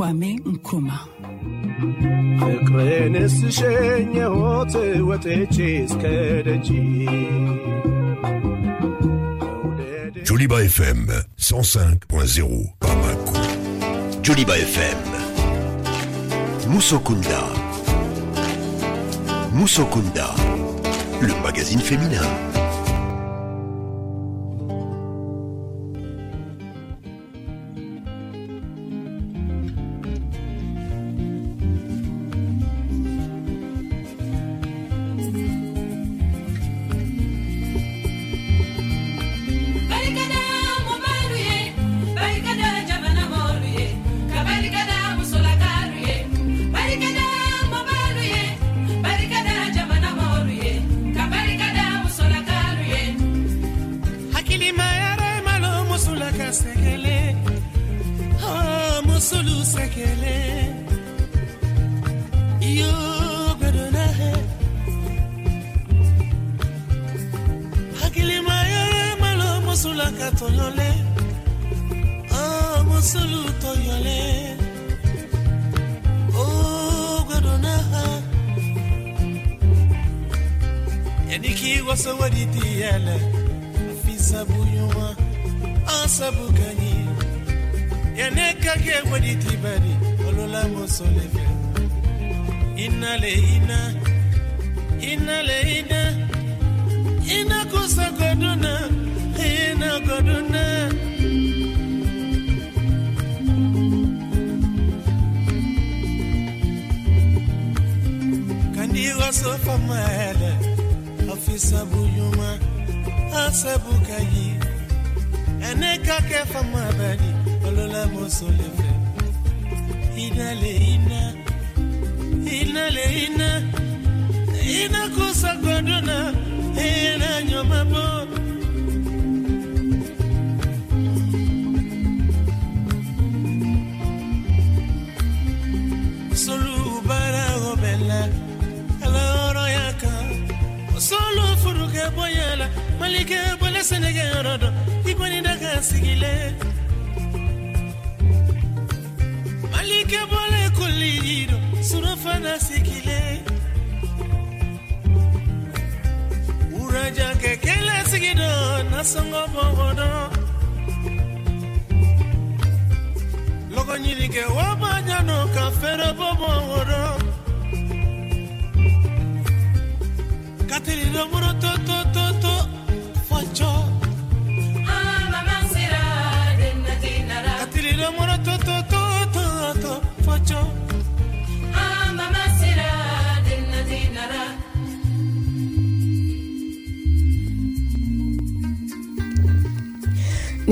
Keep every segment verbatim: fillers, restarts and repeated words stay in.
Kwame Nkrumah. ፍቅሬን ስሸኘሁት ወጥቼ እስከ ደጅ Joliba F M cent cinq point zéro Bamako. Joliba F M Musokunda. Musokunda, le magazine féminin.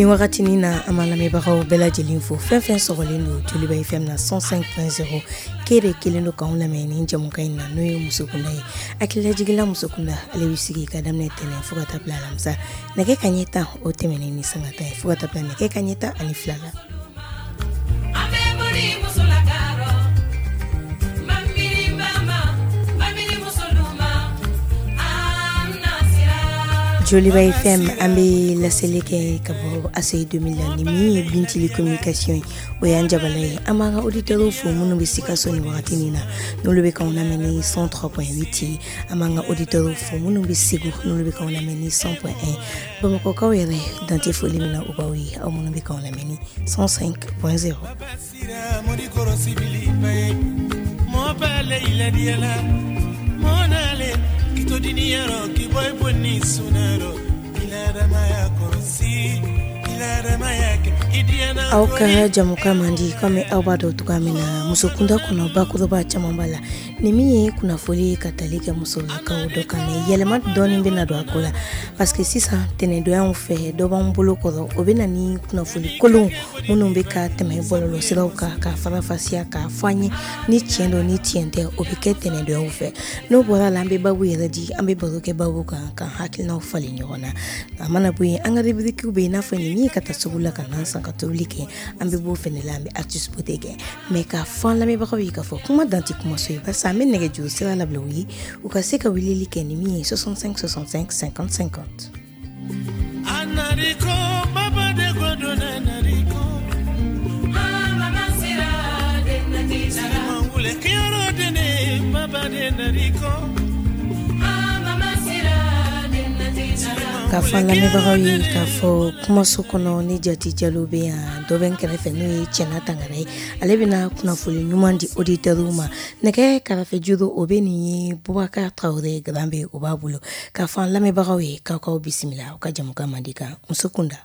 Ni wagati ni na an b'a lamɛnbagaw bɛɛ lajɛlen fo fɛn fɛn sɔgɔlen don Joliba F M na cent cinq point zéro kere kelen don k'anw lamɛn ni jamukan in na n'o ye Musokunda ye. Hakililajigila Musokunda ale bɛ sigi ka daminɛ tɛnɛn fo ka taa bila alamisa nɛgɛ kanɲɛ tan o tɛmɛnen ni sanga tan ye fo ka taa bila nɛgɛ kanɲɛ tan ani fila la. Joliba F M an bɛ laseli kɛ ka bɔ A C I deux mille la ni min ye Bintili communication ye o y'an jabala ye. An b'an ka auditeurs fo minnu bɛ Sikaso nin wagati in na n'olu bɛ k'anw lamɛn ni cent trois point huit ye. An b'an ka auditeurs fo minnu bɛ Segu n'olu bɛ k'anw lamɛn ni cent point un. Bamakɔkaw yɛrɛ dan tɛ foli min na o b'aw ye aw minnu bɛ k'anw lamɛn ni cent cinq point zéro. Aw ka jamukan man di komi aw b'a dɔn cogoya min na musokunda kɔnɔ bakuruba caman b'a la ni min ye kunnafoli ye ka tali kɛ musolakaw dɔ kan mɛ yɛlɛma dɔɔni bɛna don a ko la parce que sisan tɛnɛndonyaw fɛ dɔ b'an bolo kɔrɔ o bɛ na ni kunnafoli kolon minnu bɛ ka tɛmɛ bɔlɔlɔsiraw kan ka farafasiya k'a fɔ an ye ni tiɲɛ don ni tiɲɛ tɛ o bɛ kɛ tɛnɛndonyaw fɛ. N'o bɔra la an bɛ babu yɛrɛ di an bɛ baro kɛ babu kan ka hakilinaw falen ɲɔgɔn na. A mana bɔ yen an ka rubrique bɛ yen i n'a fɔ nin min ye ka taa sugu la ka na san ka tobili kɛ an bɛ b'o fɛnɛ la an bɛ artiste beauté kɛ mais k'a fɔ an lamɛnbagaw ye k'a fɔ kuma dan tɛ kumaso ye barisa an bɛ nɛgɛjuru sira labila u ye u ka se ka weleli kɛ ni min ye soixante-cinq soixante-cinq cinquante cinquante. K'a fɔ an lamɛnbagaw ye k'a fɔ kumaso kɔnɔ ni Jati Jalo bɛ yan, dɔ bɛ n kɛrɛfɛ n'o ye Cɛna Tangara ye, ale bɛna kunnafoni ɲuman di auditeurs ma. Nɛgɛ karafe juru o bɛ nin ye Bubakar Tarawele Garan o b'a bolo. K'a fɔ an lamɛnbagaw ye k'aw k'aw bisimila aw ka jamukan mandi kan muso kunda.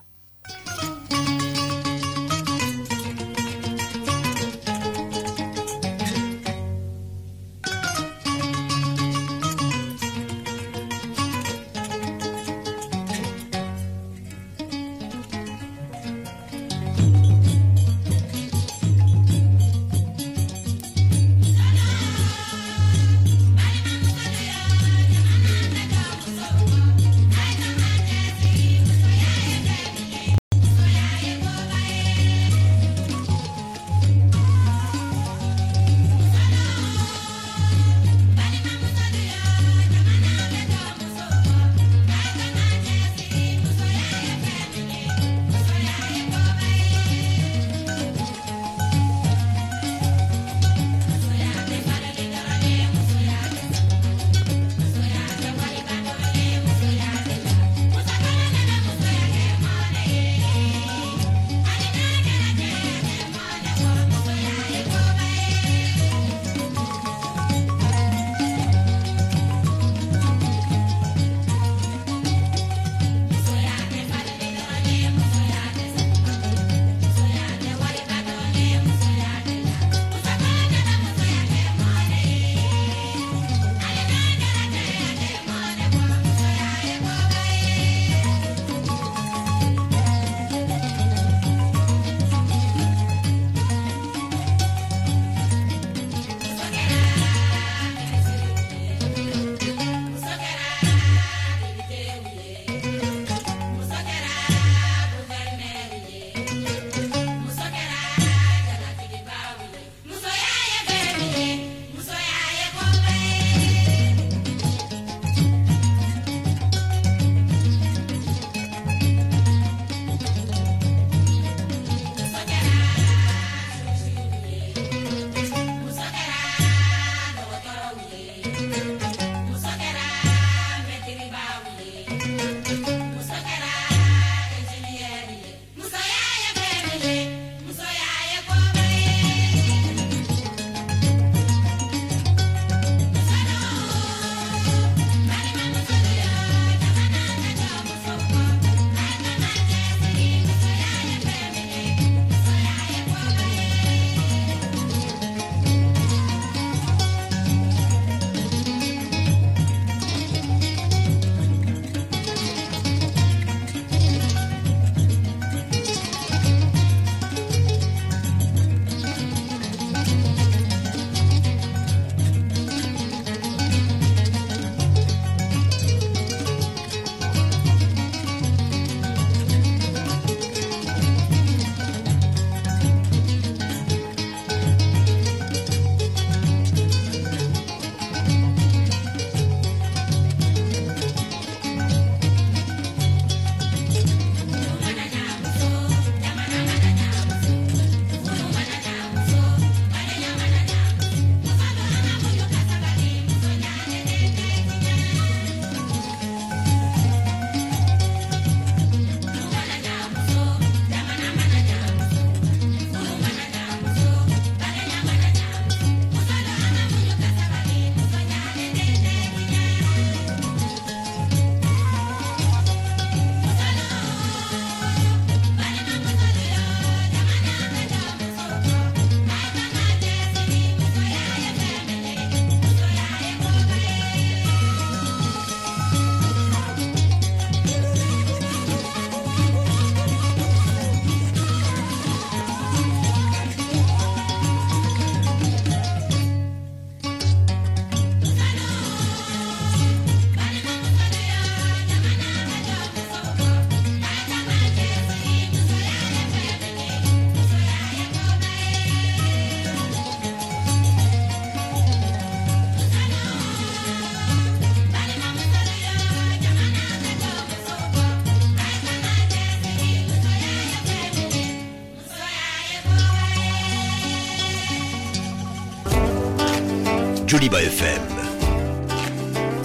Joliba F M.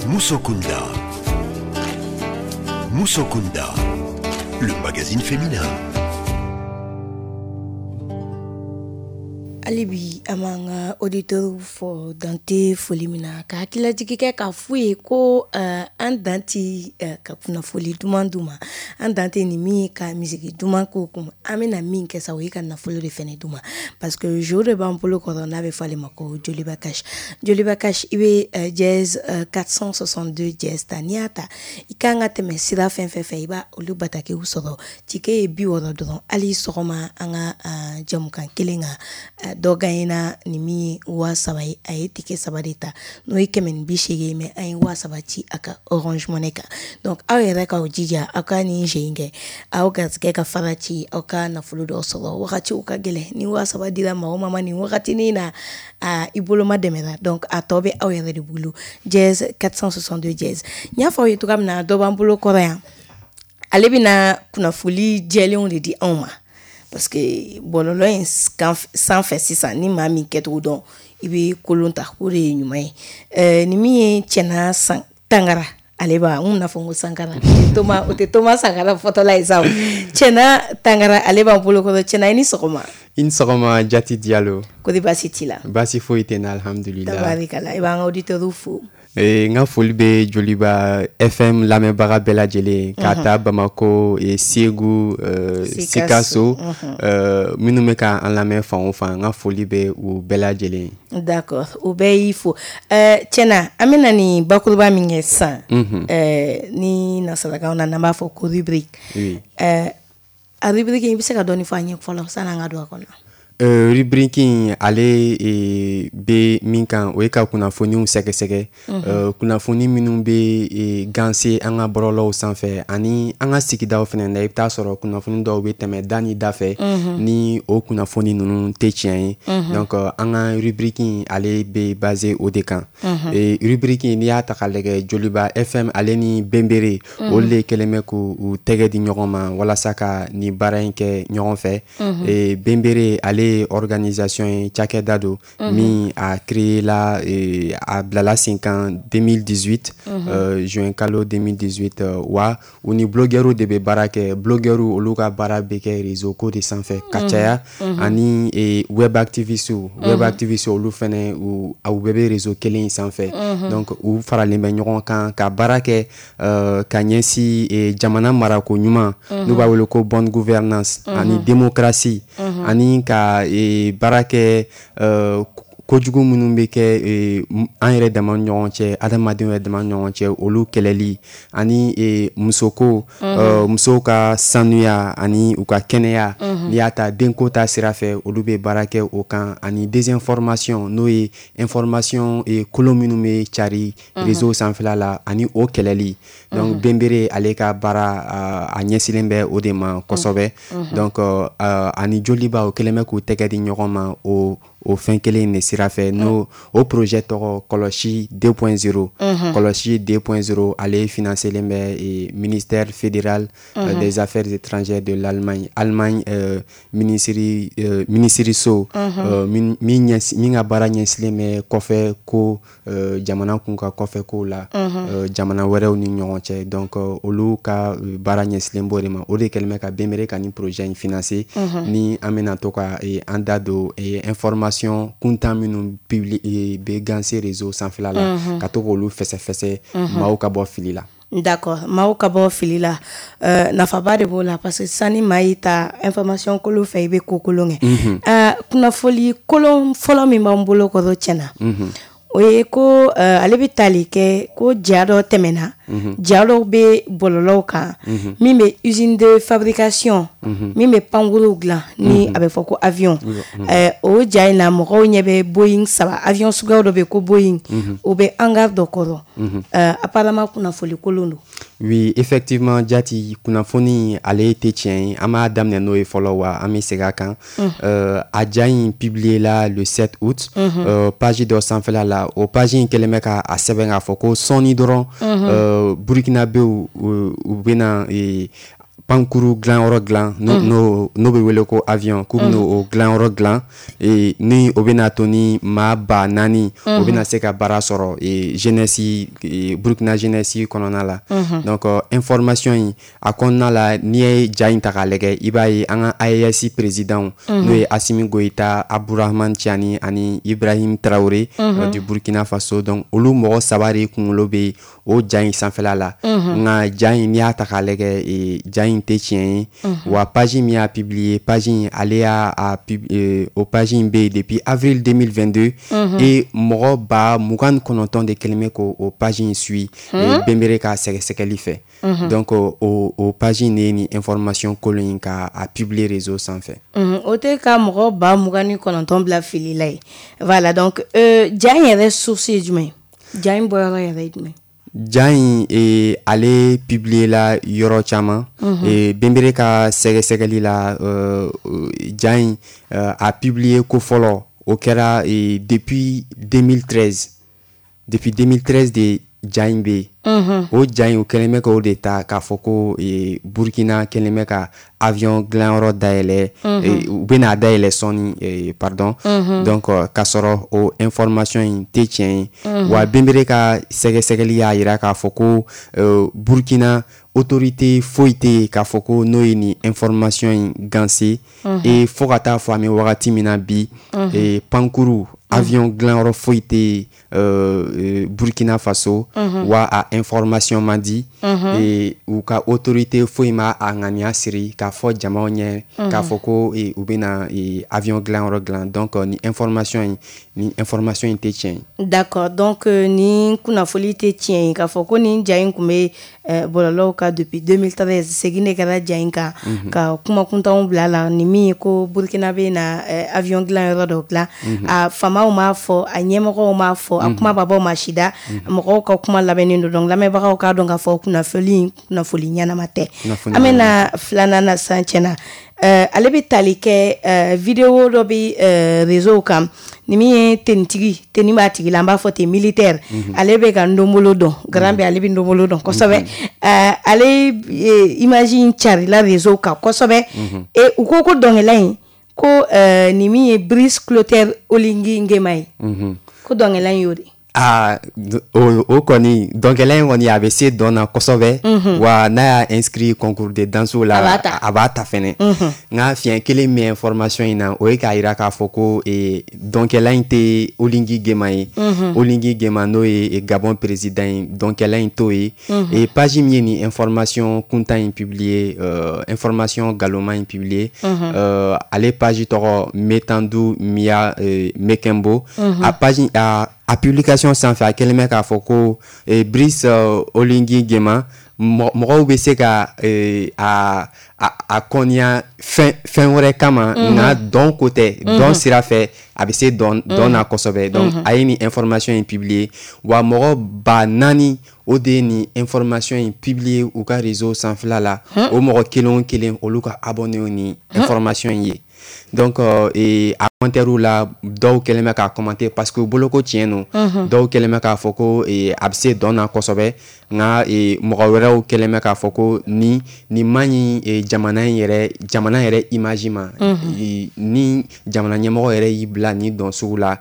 Musokunda. Musokunda, le magazine féminin. Hali bi an b'an ka auditeur fo dan tɛ foli min na ka hakililajigi kɛ k'a f'u ye ko uh, an dan tɛ uh, ka kunnafoli duman d'u ma, an dan tɛ nin min ye ka misiki duman k'u kun, an bɛna min kɛ sa o ye ka nafolo de fɛnɛ d'u ma parce que jour de b'an bolo kɔrɔ n'a bɛ fɔ ale ma ko Joliba Cash. Joliba Cash i bɛ uh, dièse uh, quatre cent soixante-deux dièse ta, n'i y'a ta i kan ka tɛmɛ sira fɛn fɛn fɛ i b'a olu batakiw sɔrɔ, ticket ye bi wɔɔrɔ dɔrɔn. Hali sɔgɔma an ka uh, jamukan kelen kan uh, dɔ gagné ni min ye waa saba ye, a ye ticket saba de ta n'o ye kɛmɛ ni bi seegin ye, mais an ye waa saba ci a ka Orange Money kan. Donc aw yɛrɛ k'aw jija aw ka nin jeu in kɛ, aw garisɛgɛ ka fara ci, aw ka nafolo dɔ sɔrɔ. Wagatiw ka gɛlɛn, ni waa saba dira maa o maa ma nin wagatinin na, a i bolo ma dɛmɛra, donc a tɔ bɛ aw yɛrɛ de bolo. Dièse quatre cent soixante-deux dièse. N y'a fɔ aw ye cogoya min na dɔ b'an bolo kɔrɔ yan, ale bɛna kunnafoli jɛlenw de di anw ma parce que bɔlɔlɔ in sanfɛ sisan ni maa min kɛcogo dɔn i bɛ kolon ta, o de ye ɲuman ye. Ɛɛ ni min ye Cɛna san Tangara, ale b'a n kun n'a fɔ n ko Sankara, Toma o tɛ Toma Sankara fɔtɔla ye sa o. Cɛna Tangara ale b'an bolo kɔrɔ. Cɛna i ni sɔgɔma. I ni sɔgɔma Jati Diallo. Kori baasi t'i la? Baasi foyi tɛ n na, alhamdulillah. Tabarikala, i b'an ka auditeurs fo. N ka foli bɛ Joliba F M lamɛnbaga bɛɛ lajɛlen ka taa Bamako, Segu, Sikaso, minnu bɛ ka an lamɛn fan o fan, n ka foli bɛ u bɛɛ lajɛlen. D'accord, u bɛɛ y'i fo. Cɛna an bɛna nin bakuruba min kɛ sisan, ni nasarakanw na n'an b'a fɔ ko rubrique. A rubrique in i bɛ se ka dɔɔnin fɔ an ye fɔlɔ sanni an ka don a kɔnɔ? Euh, rubrique in ale e, bɛ min kan o ye ka kunnafoniw sɛgɛsɛgɛ, mm -hmm. euh, kunnafoni minnu bɛ e, ganse an ka bɔlɔlɔw sanfɛ ani an ka sigidaw fɛnɛ na. I bɛ taa sɔrɔ kunnafoni dɔw bɛ tɛmɛ da ni da fɛ, mm -hmm. ni o kunnafoni ninnu tɛ tiɲɛ ye. mm -hmm. Donc an ka rubrique in ale bɛ basé o de kan. mm -hmm. E, rubrique in n'i y'a ta k'a lajɛ Joliba F M ale ni Bembere, mm -hmm. olu de kɛlen bɛ k'u tɛgɛ di ɲɔgɔn ma walasa ka nin baara in kɛ ɲɔgɔn fɛ. mm -hmm. E, Bembere ale organisation ye cakɛda don min a créé la a bilala sen kan deux mille dix-huit, euh, juin kalo deux mille dix-huit. Wa u ni blogueurs de bɛ baara kɛ. Blogueurs olu ka baara bɛ kɛ réseau ko de sanfɛ ka caya, ani web activistes web activistes olu fɛnɛ u bɛɛ bɛ réseau kelen in sanfɛ. Donc u faralen bɛ ɲɔgɔn kan ka baara kɛ euh, ka ɲɛsin jamana marako ɲuman, n'u b'a wele ko bonne gouvernance, ani démocratie, ani ka e baara kɛ uh, kojugu minnu bɛ kɛ e, an yɛrɛ dama ni ɲɔgɔn cɛ, adamadenw yɛrɛ dama ni ɲɔgɔn cɛ, olu kɛlɛli, ani e, musoko, mm -hmm. uh, musow ka sanuya ani u ka kɛnɛya, mm -hmm. n'i y'a ta denko ta sira fɛ, olu bɛ baara kɛ o kan, ani désinformation n'o ye information e, kolon minnu bɛ cari mm -hmm. réseau sanfɛla la ani o kɛlɛli. Donc mm -hmm. Bembere ale ka baara uh, a ɲɛsilen bɛ o de ma kosɛbɛ. mm -hmm. Donc uh, ani Joliba o kɛlen bɛ k'u tɛgɛ di ɲɔgɔn ma o o fɛn kelen in de sira fɛ, n'o o projet tɔgɔ Kɔlɔsi deux point zéro. Kɔlɔsi deux point zéro ale financelen bɛ ministère fédéral mm -hmm. des affaires étrangères de l'Allemagne. Allemagne euh, ministre euh, ministre so mm -hmm. euh, min min ka baara ɲɛsilen bɛ kɔfɛ ko euh, jamana kun ka kɔfɛ ko la, mm -hmm. euh, jamana wɛrɛw ni ɲɔgɔn cɛ. Donc olu ka baara ɲɛsilen b'o de ma. O de kɛlen bɛ ka Bembere ka nin projet in financer, mm -hmm. ni an bɛna to ka an da don information kuntan minnu publie bɛ ganse réseau sanfɛla la, ka to k'olu fɛsɛfɛsɛ maaw ka bɔ fili la. D'accord, maaw ka bɔ fili la, euh, nafaba de b'o la parce que sani maa y'i ta information kolon fɛ i bɛ ko kolon kɛ. uh, kunnafoli kolon fɔlɔ min b'an bolo kɔrɔ tiɲɛna, o ye ko uh, ale bɛ tali kɛ ko ja dɔ tɛmɛna, ja dɔw bɛ bɔlɔlɔw kan min bɛ usine de fabrication min bɛ pankuruw dilan ni a bɛ fɔ ko avion. O ja in na mɔgɔw ɲɛ bɛ Boeing saba, avion suguya dɔ bɛ ko Boeing, o bɛ hangar dɔ kɔrɔ. Apparemment kunnafoli kolon don. Oui, effectivement Jati, kunnafoni ale tɛ tiɲɛ ye. An b'a daminɛ n'o ye fɔlɔ wa an bɛ segin a kan. A ja in publié la le sept août, page dɔ sanfɛla la. O page in kɛlen bɛ ka a sɛbɛn k'a fɔ ko sɔɔni dɔrɔn Burkinabéw u bɛna pankuru dilanyɔrɔ dilan, n'o n'o bɛ wele ko avion, k'u bɛna o dilanyɔrɔ dilan, ni o bɛna to ni maa ba naani o bɛna se ka baara sɔrɔ jeunesse, Burkina jeunesse kɔnɔna la. Donc information in a kɔnɔna la, n'i ye ja in ta k'a lajɛ, i b'a ye an ka A E S président, n'o ye Assimi Goïta, Abdourahamane Tiani ani Ibrahim Traoré du Burkina Faso, donc olu mɔgɔ saba de kunkolo bɛ o ja in sanfɛla la. Nka ja in, n'i y'a ta k'a lajɛ, ja in tɛ tiɲɛ ye. Wa page min y'a publier, page in ale y'a o page in bɛ yen depuis avril deux mille vingt-deux et mɔgɔ ba mugan ni kɔnɔntɔn de kɛlen bɛ k'o page in suit Bembere ka sɛgɛsɛgɛli fɛ. Donc o o page in de ye nin information kolon in ka a publier réseau sanfɛ. O tɛ ka mɔgɔ ba mugan ni kɔnɔntɔn bila fili la ye. Voilà, donc ja in yɛrɛ source ye jumɛn ye? Ja in bɔyɔrɔ yɛrɛ ye jumɛn? Ja in e, ale publier la yɔrɔ caman mm -hmm. e, Bembere ka sɛgɛsɛgɛli la, uh, ja in uh, a publier ko fɔlɔ, o kɛra e, depuis deux mille treize. Depuis deux mille treize de ja in bɛ yen. O ja in, o kɛlen bɛ k'o de ta k'a fɔ ko e, Burkina kɛlen bɛ ka avion dilanyɔrɔ dayɛlɛ, e, u bɛna dayɛlɛ sɔɔni, e, pardon. Donc k'a sɔrɔ o information in tɛ tiɲɛ ye. Wa Bembere ka sɛgɛsɛgɛli y'a yira k'a fɔ ko uh, Burkina autorité foyi tɛ yen k'a fɔ ko n'o ye nin information in ganse. Et fo ka taa fɔ an bɛ wagati min na bi, e, pankuru avion dilanyɔrɔ foyi tɛ yen euh, Burkina Faso. Wa a information man di e, u ka autorité foyi ma a ŋaniya siri k'a fɔ jamaw ɲɛ k'a fɔ ko e, u bɛna e, avion dilanyɔrɔ dilan. Donc ni information in ni information in tɛ tiɲɛ ye. D'accord, donc ni kunnafoli tɛ tiɲɛ ye k'a fɔ ko nin ja in tun bɛ bɔlɔlɔw kan depuis deux mille treize. Segin de kɛra ja in kan ka kuma kuntanw bila la, ni min ye ko Burkina bɛ na avion dilanyɔrɔ dɔ dilan. A faamaw m'a fɔ, a ɲɛmɔgɔw m'a fɔ, a kuma ma bɔ maa si da, mɔgɔw ka kuma labɛnnen don. Donc lamɛnbagaw k'a dɔn k'a fɔ kunnafoli in, kunnafoli ɲɛnama tɛ. An bɛna filanan na sisan tiɲɛna. Ale bɛ tali kɛ vidéo dɔ bɛ réseau kan, ni min ye tenitigi, tenue b'a tigi la, an b'a fɔ ten, militaire, ale bɛ ka ndombolo dɔn garan bɛ, ale bɛ ndombolo dɔn kosɛbɛ. Ale image in carila réseau kan kosɛbɛ et u ko ko dɔnkɛla in ko nin min ye Brice Clotaire Oligui Nguema ye, ko dɔnkɛla in y'o de. Aa, o o kɔni, dɔnkɛla in kɔni, a bɛ se dɔn na kosɛbɛ. Wa n'a y'a inscrit concours de danse la, a b'a ta fɛnɛ. Nka fiɲɛ kelen min information in na, o ye k'a yira k'a fɔ ko dɔnkɛla in tɛ Oligui Nguema ye. Oligui Nguema, n'o ye Gabon président ye, dɔnkɛla in t'o ye. Et page min ye nin information kuntan in publier, euh, information galoma in publier, euh, ale page tɔgɔ Metandu Mia euh, Mekembo. A page a a publication sanfɛ, a kɛlen bɛ k'a fɔ ko eh, Brice uh, Oligui Nguema, mɔgɔw bɛ se ka eh, a a a kɔniya fɛn fɛn wɛrɛ kama, nka dɔn ko tɛ. Dɔn sira fɛ, a bɛ se dɔn dɔn na kosɛbɛ. Donc a ye nin information in publier, wa mɔgɔ ba naani o de ye nin information in publier u ka réseau sanfɛla la. O mɔgɔ kelen o kelen, olu ka abonné ni information in ye. Donc euh, et a commentaire la, dɔw kɛlen bɛ k'a commenter parce que u bolo ko tiɲɛ don. Dɔw kɛlen bɛ k'a fɔ ko a bɛ se dɔn na kosɛbɛ, nka mɔgɔ wɛrɛw kɛlen bɛ k'a fɔ ko ni nin man ɲi jamana in yɛrɛ, jamana yɛrɛ image ma. Ni jamana ɲɛmɔgɔ yɛrɛ y'i bila nin dɔn sugu la,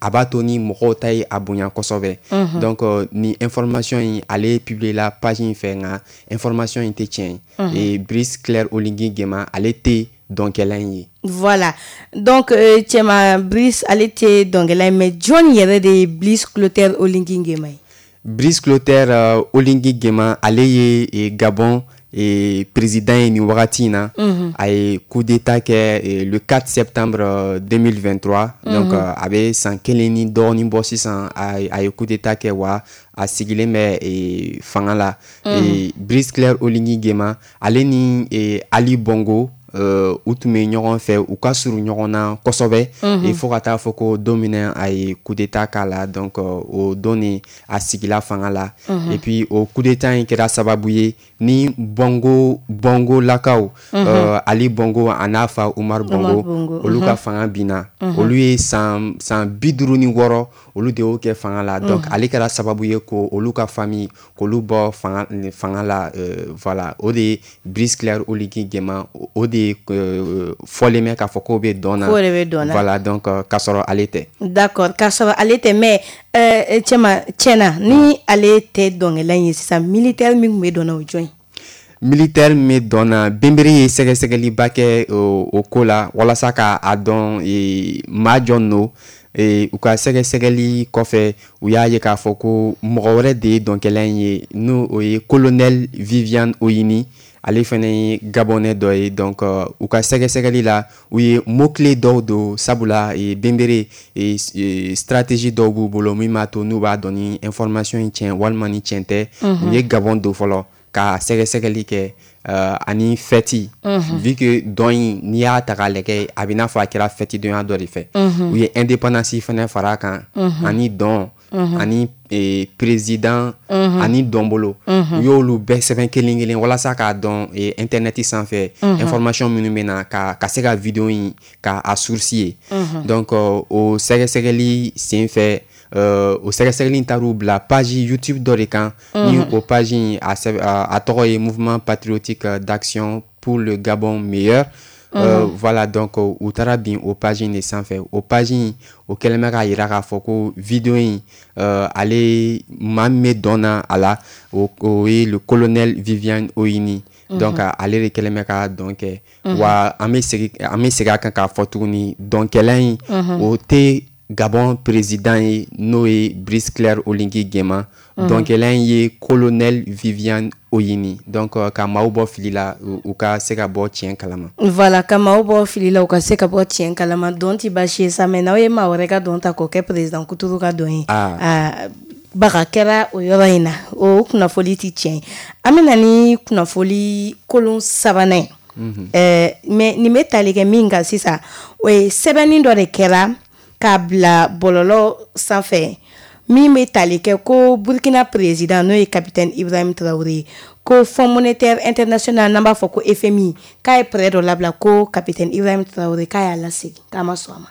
a b'a to ni mɔgɔw ta ye a bonya kosɛbɛ. Donc nin information in, ale publier la page in fɛ, nka information in tɛ tiɲɛ ye. Brice Claire Oligui Nguema, ale tɛ dɔnkɛla in ye. Voilà, donc euh, Cɛma Brice, ale tɛ dɔnkɛla ye, mais jɔn yɛrɛ de ye Brice Clotaire Oligui Nguema ye? Brice Clotaire uh, Oligui Nguema, ale ye e, Gabon e, président ye nin wagati in na. mm -hmm. A ye coup d'état kɛ e, le quatre septembre deux mille vingt-trois. mm -hmm. Donc uh, a bɛ san kelen ni dɔɔnin bɔ sisan a, a ye coup d'état kɛ, wa a sigilen bɛ e, fanga la. mm -hmm. e, Brice Claire Oligui Nguema, ale ni e, Ali Bongo euh, u tun bɛ ɲɔgɔn fɛ, u ka surun ɲɔgɔn na kosɛbɛ. Et fo ka taa fɔ ko don min na a ye coup d'état k'a la, donc o don de a sigila fanga la. Et puis o coup d'état in kɛra sababu ye ni Bongo Bongo lakaw, euh, Ali Bongo a n'a fa Umar Bongo, olu ka fanga binna. Olu ye san san bi duuru ni wɔɔrɔ, olu de y'o kɛ fanga la. Donc ale kɛra sababu ye ko olu ka famille k'olu bɔ fanga fanga la. euh, voilà o de ye Brice Claire Oligui Nguema, o de ye euh, fɔlen bɛ k'a fɔ k'o bɛ dɔn na. K'o de bɛ dɔn na. Voilà, donc k'a sɔrɔ ale tɛ. D'accord, k'a sɔrɔ ale tɛ. Mais euh, cɛma tiɲɛna, ni ale tɛ dɔnkɛla in ye sisan, militaire min tun bɛ dɔn na, o jɔn ye? Militaire min bɛ dɔn na, Benbere ye sɛgɛsɛgɛliba kɛ o, o ko la walasa ka a dɔn e, maa jɔn don. E, u ka sɛgɛsɛgɛli kɔfɛ, u y'a ye k'a fɔ ko mɔgɔ wɛrɛ de ye dɔnkɛla in ye, n'o o ye colonel Viviane Oyini. Ale fɛnɛ ye Gabonais dɔ ye. Donc uh, u ka sɛgɛsɛgɛli la, u ye mot clé dɔw don, sabula e, Benbere e, e, stratégie dɔw b'u bolo min b'a to n'u b'a dɔn ni information in tiɲɛ walima ni tiɲɛ tɛ. U ye Gabon don fɔlɔ ka sɛgɛsɛgɛli kɛ, uh, ani fɛti mm -hmm. vu que dɔn in, n'i y'a ta k'a lajɛ, a bɛ n'a fɔ a kɛra fɛti donya dɔ de fɛ. mm -hmm. U ye indépendance fɛnɛ fara a kan, mm -hmm. ani dɔn, mm -hmm. ani eh, président, mm -hmm. ani dɔnbolo. mm -hmm. U y'olu bɛɛ sɛbɛn kelen kelen walasa k'a dɔn eh, internet sanfɛ, mm -hmm. information minnu bɛ na ka ka se ka vidéo in ka a source ye. mm -hmm. Donc uh, o sɛgɛsɛgɛli sen fɛ, Uh, o sɛgɛsɛgɛli taar'u bila page YouTube dɔ de kan, mm -hmm. ni o page in a, a, a tɔgɔ ye Mouvement patriotique d'action pour le Gabon meilleur. Mm -hmm. euh, voilà donc u taara bin o page in de sanfɛ. O page in, o kɛlen bɛ k'a yira k'a fɔ ko vidéo in, euh, ale maa min bɛ dɔn na a la, o, o ye le colonel Viviane Oyini. Mm -hmm. Donc ale de kɛlen bɛ ka dɔn kɛ. mm -hmm. Wa an bɛ segin an bɛ segin a kan k'a fɔ tuguni, dɔnkɛla in, mm -hmm. o tɛ Gabon président ye, n'o ye Brice Claire Oligui Nguema. mm -hmm. Dɔnkɛla in ye colonel Viviane Oyini. Donc ka maaw bɔ fili la, u ka se ka bɔ tiɲɛ kalama. Voilà, ka maaw bɔ fili la, u ka se ka bɔ tiɲɛ kalama. Dɔn ti baasi ye sa, mais n'aw ye maa wɛrɛ ka dɔn ta k'o kɛ président kuturu ka dɔn ye, ah. Baga kɛra o yɔrɔ in na, o kunnafoli ti tiɲɛ ye. An bɛ na ni kunnafoli kolon sabanan ye. mm -hmm. euh, mais nin bɛ tali kɛ min kan sisan, o ye sɛbɛnni dɔ de kɛra k'a bila bɔlɔlɔ sanfɛ min bɛ tali kɛ ko Burkina président, n'o ye capitaine Ibrahim Traoré, ko Fonds monétaire international, n'an b'a fɔ ko F M I, k'a ye prêt dɔ labila, ko capitaine Ibrahim Traoré k'a y'a lasegin, k'a ma sɔn a ma.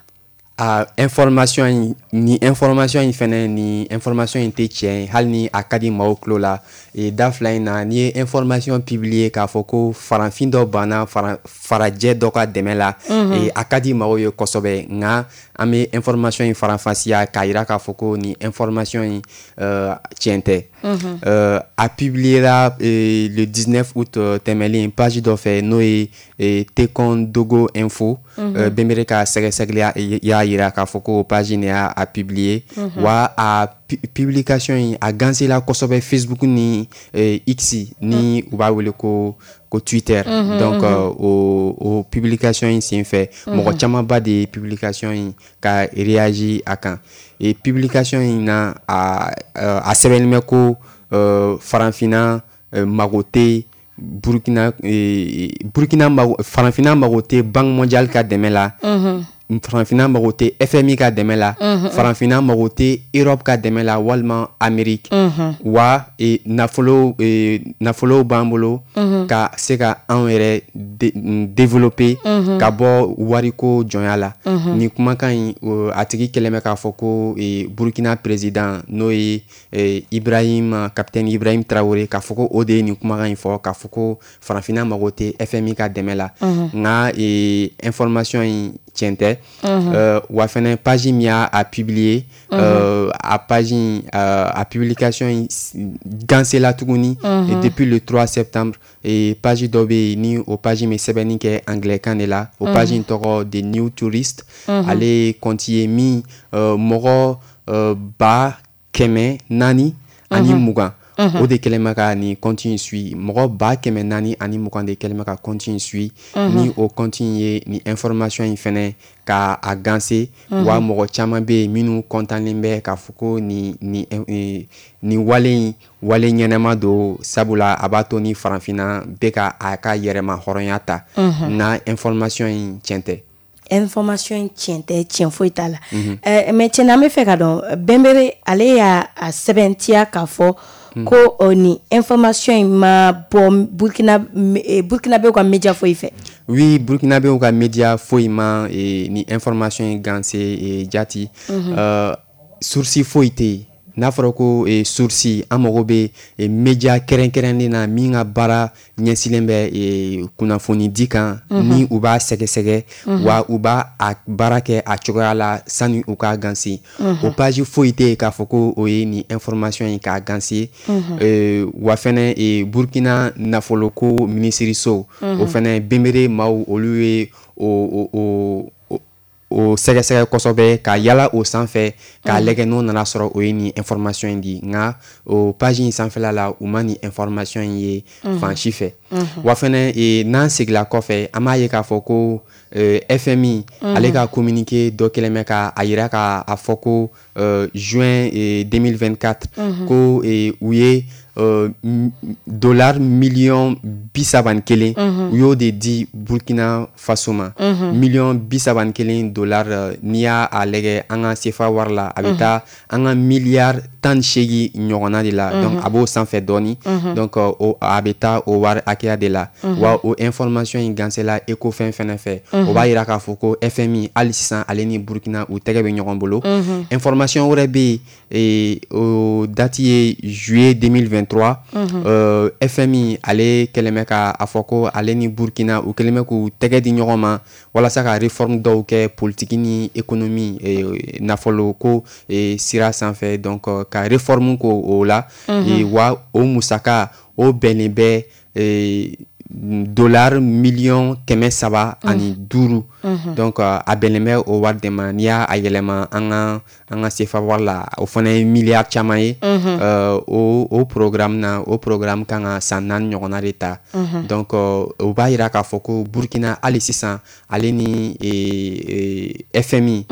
A information in, ni information in fɛnɛ, ni information in tɛ tiɲɛ ye, hali ni a ka di maaw tulo la. E, da fila in na, n'i ye information publier k'a fɔ ko farafin dɔ banna fara, farajɛ dɔ ka dɛmɛ la, mm -hmm. e, a ka di maaw ye kosɛbɛ. Nka an bɛ information in faranfasiya k'a yira k'a fɔ ko ni information in uh, tiɲɛ tɛ. mm -hmm. uh, a publiera eh, le dix-neuf août tɛmɛlen page dɔ fɛ, n'o ye eh, Tekondogo Info. mm -hmm. uh, Benbere ka sɛgɛsɛgɛli y'a yira k'a fɔ ko page in y'a a publier. mm -hmm. Wa a publication in a gansela kosɛbɛ Facebook ni eh, X, ni u b'a wele ko ko Twitter. mm -hmm, donc mm -hmm. o o publication in sen fɛ, mɔgɔ camanba de ye publication in ka réagir a kan. Et publication in na, a a sɛbɛnnen bɛ ko uh, farafinna uh, mago tɛ Burkina, eh, Burkina mago, farafinna mago tɛ Banque mondiale ka dɛmɛ la. mm -hmm. Farafinna mago tɛ F M I ka dɛmɛ la. mm -hmm. Farafinna mago tɛ Europe ka dɛmɛ la walima Amérique. mm -hmm. Wa e, nafolo e, nafolo b'an bolo, mm -hmm. ka se ka anw yɛrɛ de, développer, mm -hmm. ka bɔ wariko jɔnya la. mm -hmm. Ni kumakan in, a tigi kɛlen bɛ k'a fɔ ko e, Burkina président, n'o ye e, Ibrahim capitaine Ibrahim Traoré, k'a fɔ ko o de ye nin kumakan in fɔ, k'a fɔ ko farafinna mago tɛ F M I ka dɛmɛ la. mm -hmm. Nka e, information in tiɲɛ tɛ. mm -hmm. euh, wa fɛnɛ page min y'a a publier, mm -hmm. euh, a page in, euh, a publication in gansela tuguni. mm -hmm. Et depuis le trois septembre, et page dɔ bɛ yen, ni o page in bɛ sɛbɛnni kɛ anglais kan de la. O page in tɔgɔ The New Tourist. mm -hmm. Ale compte ye min euh, mɔgɔ euh, ba kɛmɛ naani ani mugan, o de kɛlen bɛ ka nin compte in suit. Mɔgɔ ba kɛmɛ naani ani mugan de kɛlen bɛ ka compte in suit. Ni o compte in ye nin information in fɛnɛ ka a ganse. Wa mɔgɔ caman bɛ yen minnu kɔntannen bɛ k'a fɔ ko nin nin nin wale in wale ɲɛnɛma don, sabula a b'a to ni farafinna bɛ ka a ka yɛrɛma hɔrɔnya ta. Na information in tiɲɛ tɛ. Information in tiɲɛ tɛ, tiɲɛ foyi t'a la. Mais tiɲɛna, an bɛ fɛ ka dɔn, Bɛnbere ale y'a a sɛbɛntiya k'a fɔ ko nin information in ma bɔ Burkina Burkinabɛw ka média foyi fɛ. Oui, Burkinabɛw ka média foyi ma ni information in ganse jati. euh, source foyi tɛ yen. N'a fɔra ko source, an mago bɛ média kɛrɛnkɛrɛnnen na min ka baara ɲɛsinnen bɛ kunnafoni di kan, ni u b'a sɛgɛsɛgɛ wa u b'a a baara kɛ a cogoya la sani u k'a ganse. O page foyi tɛ yen k'a fɔ ko o ye nin information in k'a ganse. Wa fɛnɛ, Burkina nafoloko minisiriso, o fɛnɛ Bɛnbere maaw, olu ye o o o sɛgɛsɛgɛ kosɛbɛ ka yala o sanfɛ k'a lajɛ n'o nana sɔrɔ o ye nin information in di. Nka o page in sanfɛla la, u ma nin information in ye fan si fɛ. Wa fɛnɛ, n'an segila kɔfɛ, an b'a ye k'a fɔ ko F M I ale ka communiqué dɔ kɛlen bɛ ka a yira k'a fɔ ko juin deux mille vingt-quatre, ko u ye dollar miliyɔn bi saba ni kelen, u y'o de di Burkina Faso ma. Miliyɔn bi saba ni kelen dollar, n'i y'a lajɛ an ka C F A wari la, a bɛ taa an ka miliyari tan ni seegin ɲɔgɔnna de la. Donc a b'o sanfɛ dɔɔni. Donc a bɛ taa o wari hakɛya de la. Wa o information in gansela Ecofin fɛnɛ fɛ. O b'a yira k'a fɔ ko F M I hali sisan, ale ni Burkina, u tɛgɛ bɛ ɲɔgɔn bolo. Information wɛrɛ bɛ yen, o date ye juillet deux mille vingt-trois. euh, F M I ale kɛlen bɛ ka a fɔ ko ale ni Burkina, u kɛlen bɛ k'u tɛgɛ di ɲɔgɔn ma walasa ka réforme dɔw kɛ politique ni économie, nafolo ko sira sanfɛ. Donc ka réforme ko o la, wa o musaka o bɛnnen bɛ dollar miliyɔn kɛmɛ saba ani duuru. Donc a bɛnnen bɛ o wari de ma. N'i y'a yɛlɛma an ka an ka C F A wari la, o fana ye miliyari caman ye. o o programme na, o programme kan ka san naani ɲɔgɔnna de ta. Donc o b'a yira k'a fɔ ko Burkina hali sisan, ale ni F M I,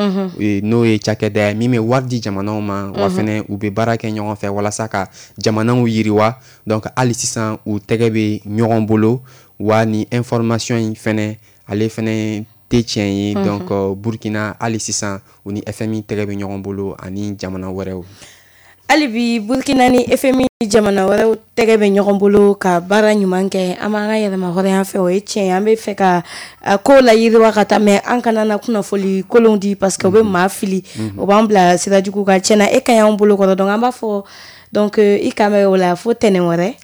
n'o ye cakɛda ye min bɛ wari di jamanaw ma, wa fɛnɛ u bɛ baara kɛ ɲɔgɔn fɛ walasa ka jamanaw yiriwa, donc hali sisan u tɛgɛ bɛ ɲɔgɔn bolo. Wa ni information in fɛnɛ, ale fɛnɛ tɛ tiɲɛ ye. Donc Burkina hali sisan, u ni F M I tɛgɛ bɛ ɲɔgɔn bolo ani jamana wɛrɛw. Hali bi, Burkina ni F M I, jamana wɛrɛw tɛgɛ bɛ ɲɔgɔn bolo ka baara ɲuman kɛ. An b'an ka yɛlɛma hɔrɔnya fɛ, o ye tiɲɛ ye. An bɛ fɛ ka ko la yiriwa ka taa, mais an kana na kunnafoli kolon di, parce que o bɛ maa fili, o b'an bila sira jugu kan. Tiɲɛna, e ka ɲi anw bolo kɔrɔ. Donc an b'a fɔ, donc i kan bɛ o la fo tɛnɛn wɛrɛ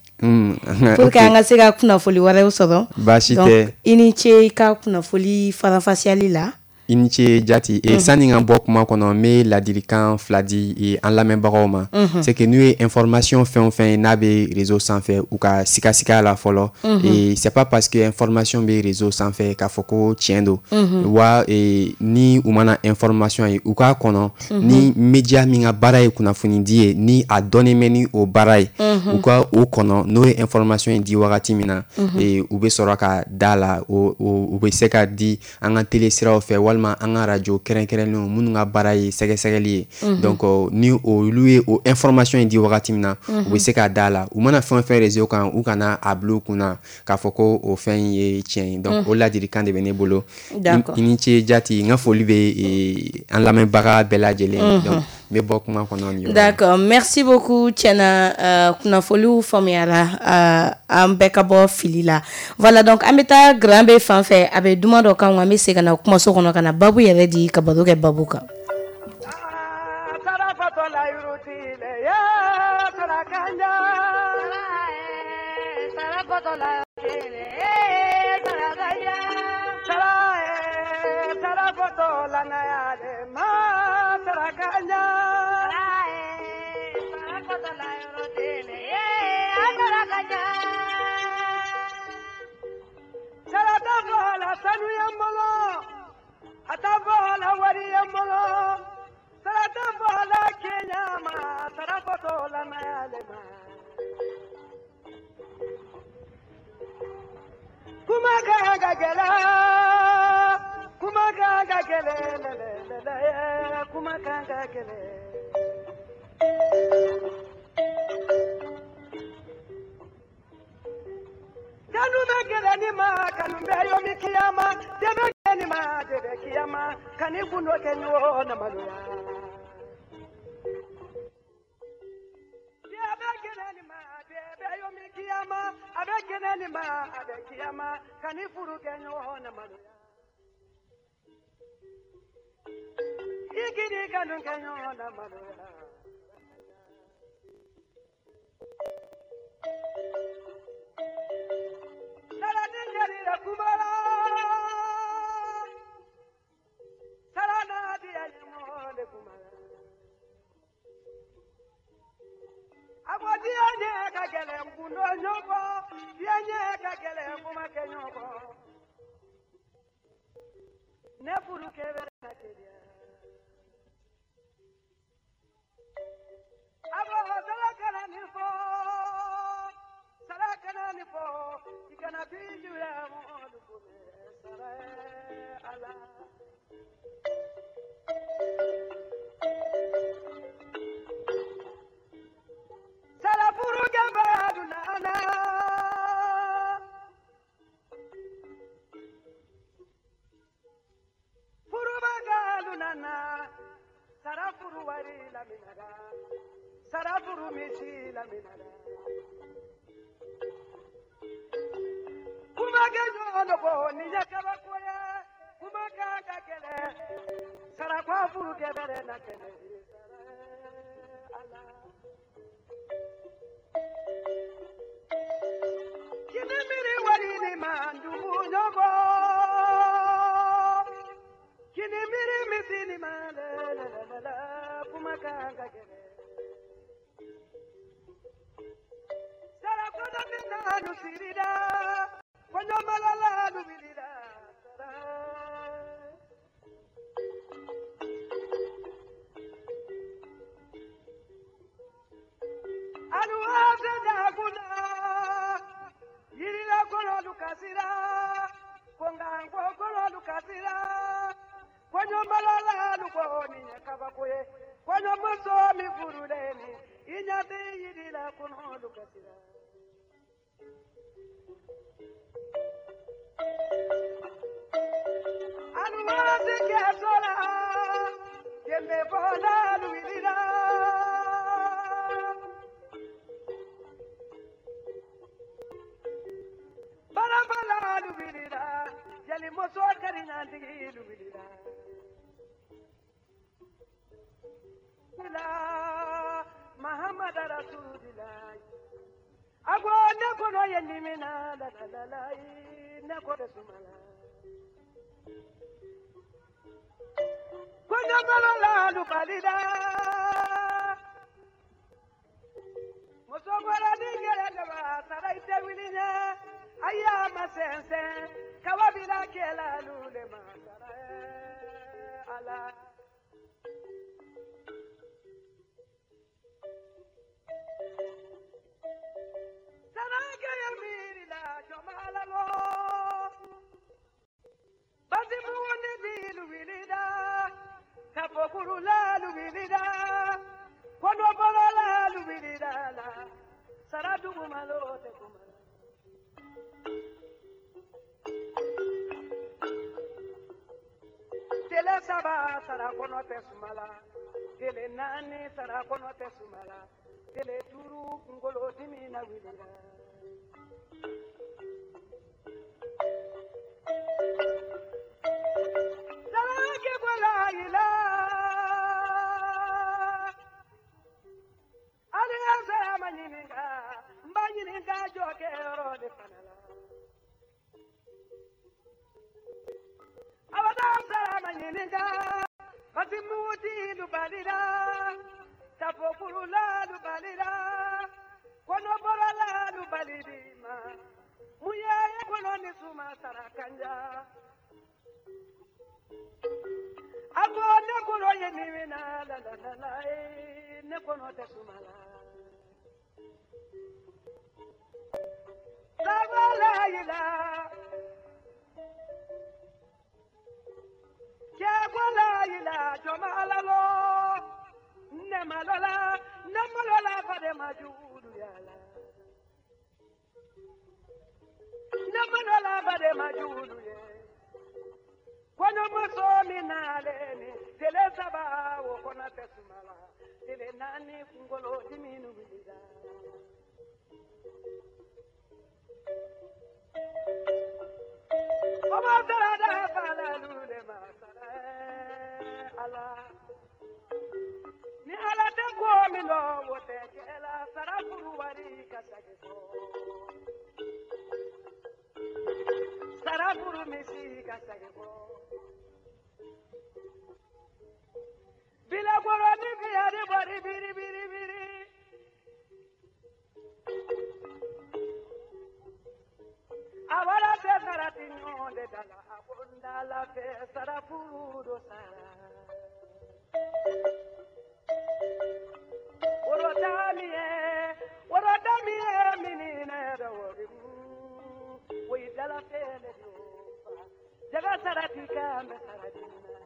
pour que an ka se ka kunnafoli wɛrɛw sɔrɔ. Baasi tɛ. I ni ce i ka kunnafoli faranfasiyali la. I ni ce jati. E sani ka bɔ kuma kɔnɔ, n bɛ ladilikan fila di an lamɛnbagaw ma. C'est que n'u ye information fɛn o fɛn ye n'a bɛ réseau sanfɛ, u ka sigasiga la fɔlɔ. Et c'est pas parce que information bɛ réseau sanfɛ k'a fɔ ko tiɲɛ don. Wa ni u mana information ye, u k'a kɔnɔ ni média min ka baara ye kunnafoni di ye, ni a dɔnnen bɛ ni o baara ye, u ka o kɔnɔ. N'o ye information in di wagati min na, u bɛ sɔrɔ ka da la. U bɛ se ka di an ka télé siraw fɛ walima an ka radio kɛrɛnkɛrɛnnenw minnu ka baara ye sɛgɛsɛgɛli ye. Donc ni olu ye o information in di wagati min na, u bɛ se ka da la. U mana fɛn o fɛn réseau kan, u kana a bila u kunna k'a fɔ ko o fɛn in ye tiɲɛ ye. Donc o ladilikan de bɛ ne bolo. I ni ce jati. N ka foli bɛ an lamɛnbaga bɛɛ lajɛlen. Donc n bɛ bɔ kuma kɔnɔ nin yɔrɔ la. D'accord, merci beaucoup. Tiɲɛna, kunnafoliw faamuyara, an bɛɛ ka bɔ fili la. Voilà, donc an bɛ taa Grand B fan fɛ, a bɛ duman dɔ kan, an bɛ segin ka na kumaso kɔnɔ ka na babu yɛrɛ di, ka baro kɛ babu kan. ka gɛlɛn kuma kan ka gɛlɛn lɛlɛlɛlɛ kuma kan ka gɛlɛn kanu bɛ gɛlɛn ni ma kanu bɛ yomi kiyama dɛbɛ gɛlɛn ni ma dɛbɛ kiyama kani gundo kɛ ɲɔgɔn na maloya dɛbɛ gɛlɛn ni ma dɛbɛ yomi kiyama a bɛ gɛlɛn ni ma a bɛ kiyama kani furu kɛ ɲɔgɔn na maloya i kiri kanu kɛ ɲɔgɔn na maloya. Ne furu kɛ bɛ na teliya a ko sala kana nin fɔ sala kana nin fɔ i kana bi juguya mɔgɔlu kunbɛ sara ala. Sala furu kɛ bɛ aduna. Sara furu wari la minara sara furu misi la minara kuma kɛ ɲɔgɔn bɔ ni ɲɛ kabako ye kuma kan ka gɛlɛn sara kɔ furu kɛ bɛrɛ na kɛnɛ ala. Kini miiri wari ni ma dugu ɲɔgɔn kini miiri misi ni ma lɛ lɛ lɛ lɛ kuma kan ka gɛlɛn. Sara kɔnɔ min na nu sirida kɔɲɔmalala nu wulila sara. Aluwa fɛ dakunna yirila kɔnɔ kasira konganko kɔnɔ kasira. Kɔɲɔmalala ko nin ye kabako ye kɔɲɔmuso min furulen ni i ɲɛ bɛ yiri la kɔnɔ kasira. Aluwa se kɛ so la jenbe bɔla wulila. Barabala wulila jelimuso kariɲantigi wulila. Muhammad Rasulillah ago ne kono ye nimina la la la la ne ko de sumala kono bala la lu balida muso bala ni gele de ba sara ite wilinya aya masense kawabila kela lu le ma sara ala. Tele saba sara kɔnɔ tɛ sumala tele naani sara kɔnɔ tɛ sumala tele duuru kunkolo dimi na wulila. Sara bɔla i la hali sara ma ɲininka n b'a ɲininka jɔ kɛyɔrɔ de fana la. Abada sara ma ɲininka basi muti lubalila tafokurula lubalila kɔnɔbɔlala lubalidima mun ye kɔnɔ ni suma sara kanja. A ko ne kɔnɔ ye nin na la la la la ne kɔnɔ tɛ suma la. Sabala yi la. ila joma alalo ne malola ne malola fade majulu yala ne malola fade majulu ye kwanyo muso minaleni tele saba wo kona tesumala tele nani kungolo diminu bilida Oba sarada fala lule masala ala ni ala te ko mi lo wote kela sarafuru wari kasage ko sarafuru misi kasage ko bila goro ni biari bari biri biri biri awala te sarati nyonde dala abonda la fe sarafuru do sara Orodamiye orodamiye minine dawori we dala fele do jaga sarati kambe saratina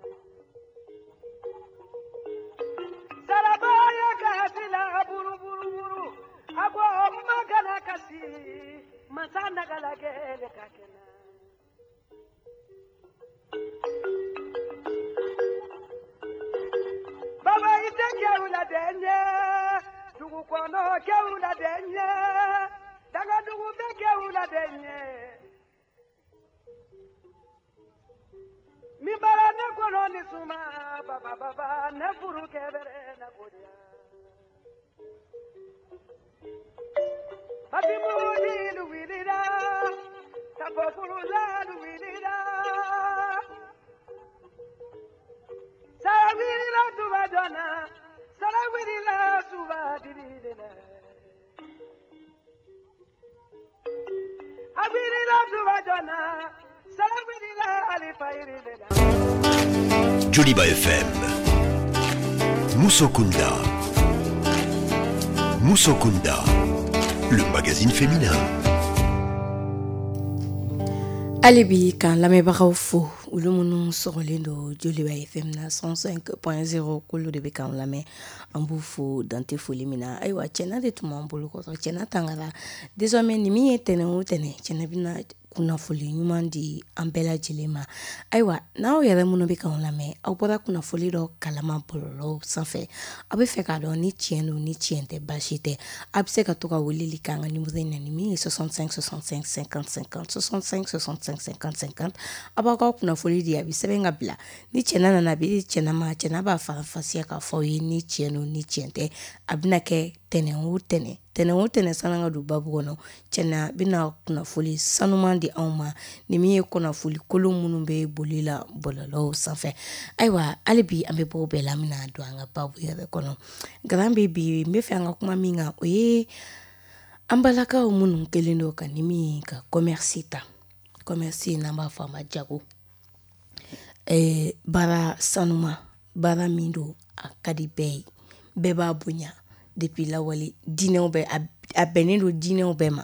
sarabaya kasila buru buru buru abo magana kasi masana galagele kakena Baba ite kewula denye dugu kono kewula denye daga dugu be kewula denye mi bara ne kono ni suma baba baba ne furu kebere na kodia Ati mudi luwilida tabokuru la luwilida Sarawirila tubadona sarawirila tubadilina Awirila tubadona sarawirila alifairilina Joliba F M Musokunda Musokunda, le magazine féminin. Alibi kan lamɛnbagaw fo olu minnu sɔgɔlen don Joliba F M na cent cinq point zéro k'olu de bɛ k'an lamɛn an b'u fo dante foli min na ayiwa cɛna de tun b'an bolo kɔrɔ cɛna tangara désormais nin min ye tɛnɛn o tɛnɛn cɛna bɛna kunnafoli ɲuman di an bɛɛ lajɛlen ma ayiwa n'aw yɛrɛ minnu bɛ k'an lamɛn aw bɔra kunnafoli dɔ kalama bɔlɔlɔw sanfɛ aw bɛ fɛ k'a dɔn ni tiɲɛ don ni tiɲɛ tɛ baasi tɛ a bɛ se ka to ka weleli k'an ka numéro in na ni min ye soixante-cinq soixante-cinq cinquante cinquante soixante-cinq soixante-cinq cinquante cinquante a b'aw ka kunnafoli di a bɛ sɛbɛn ka bila ni cɛna nana a bɛ di cɛna ma cɛna b'a faranfasiya k'a fɔ aw ye ni tiɲɛ don ni tiɲɛ tɛ a bɛna kɛ tɛnɛn o tɛnɛn tɛnɛn o tɛnɛn sanni ka don babu kɔnɔ cɛna bɛna kunnafoli sanuman di anw ma ni min ye kunnafoli kolon minnu bɛ boli la bɔlɔlɔw sanfɛ ayiwa hali bi an bɛ bɔ o bɛɛ la an bɛna don an ka babu yɛrɛ kɔnɔ garan bɛ bi n bɛ fɛ an ka kuma min kan o ye an balakaw minnu kɛlen don ka ni min ka commerce ta commerce n'an b'a fɔ a ma jago ɛɛ baara sanuma baara min don a ka di bɛɛ ye bɛɛ b'a bonya depuis lawale diinɛw bɛɛ a bɛnnen don diinɛw bɛɛ ma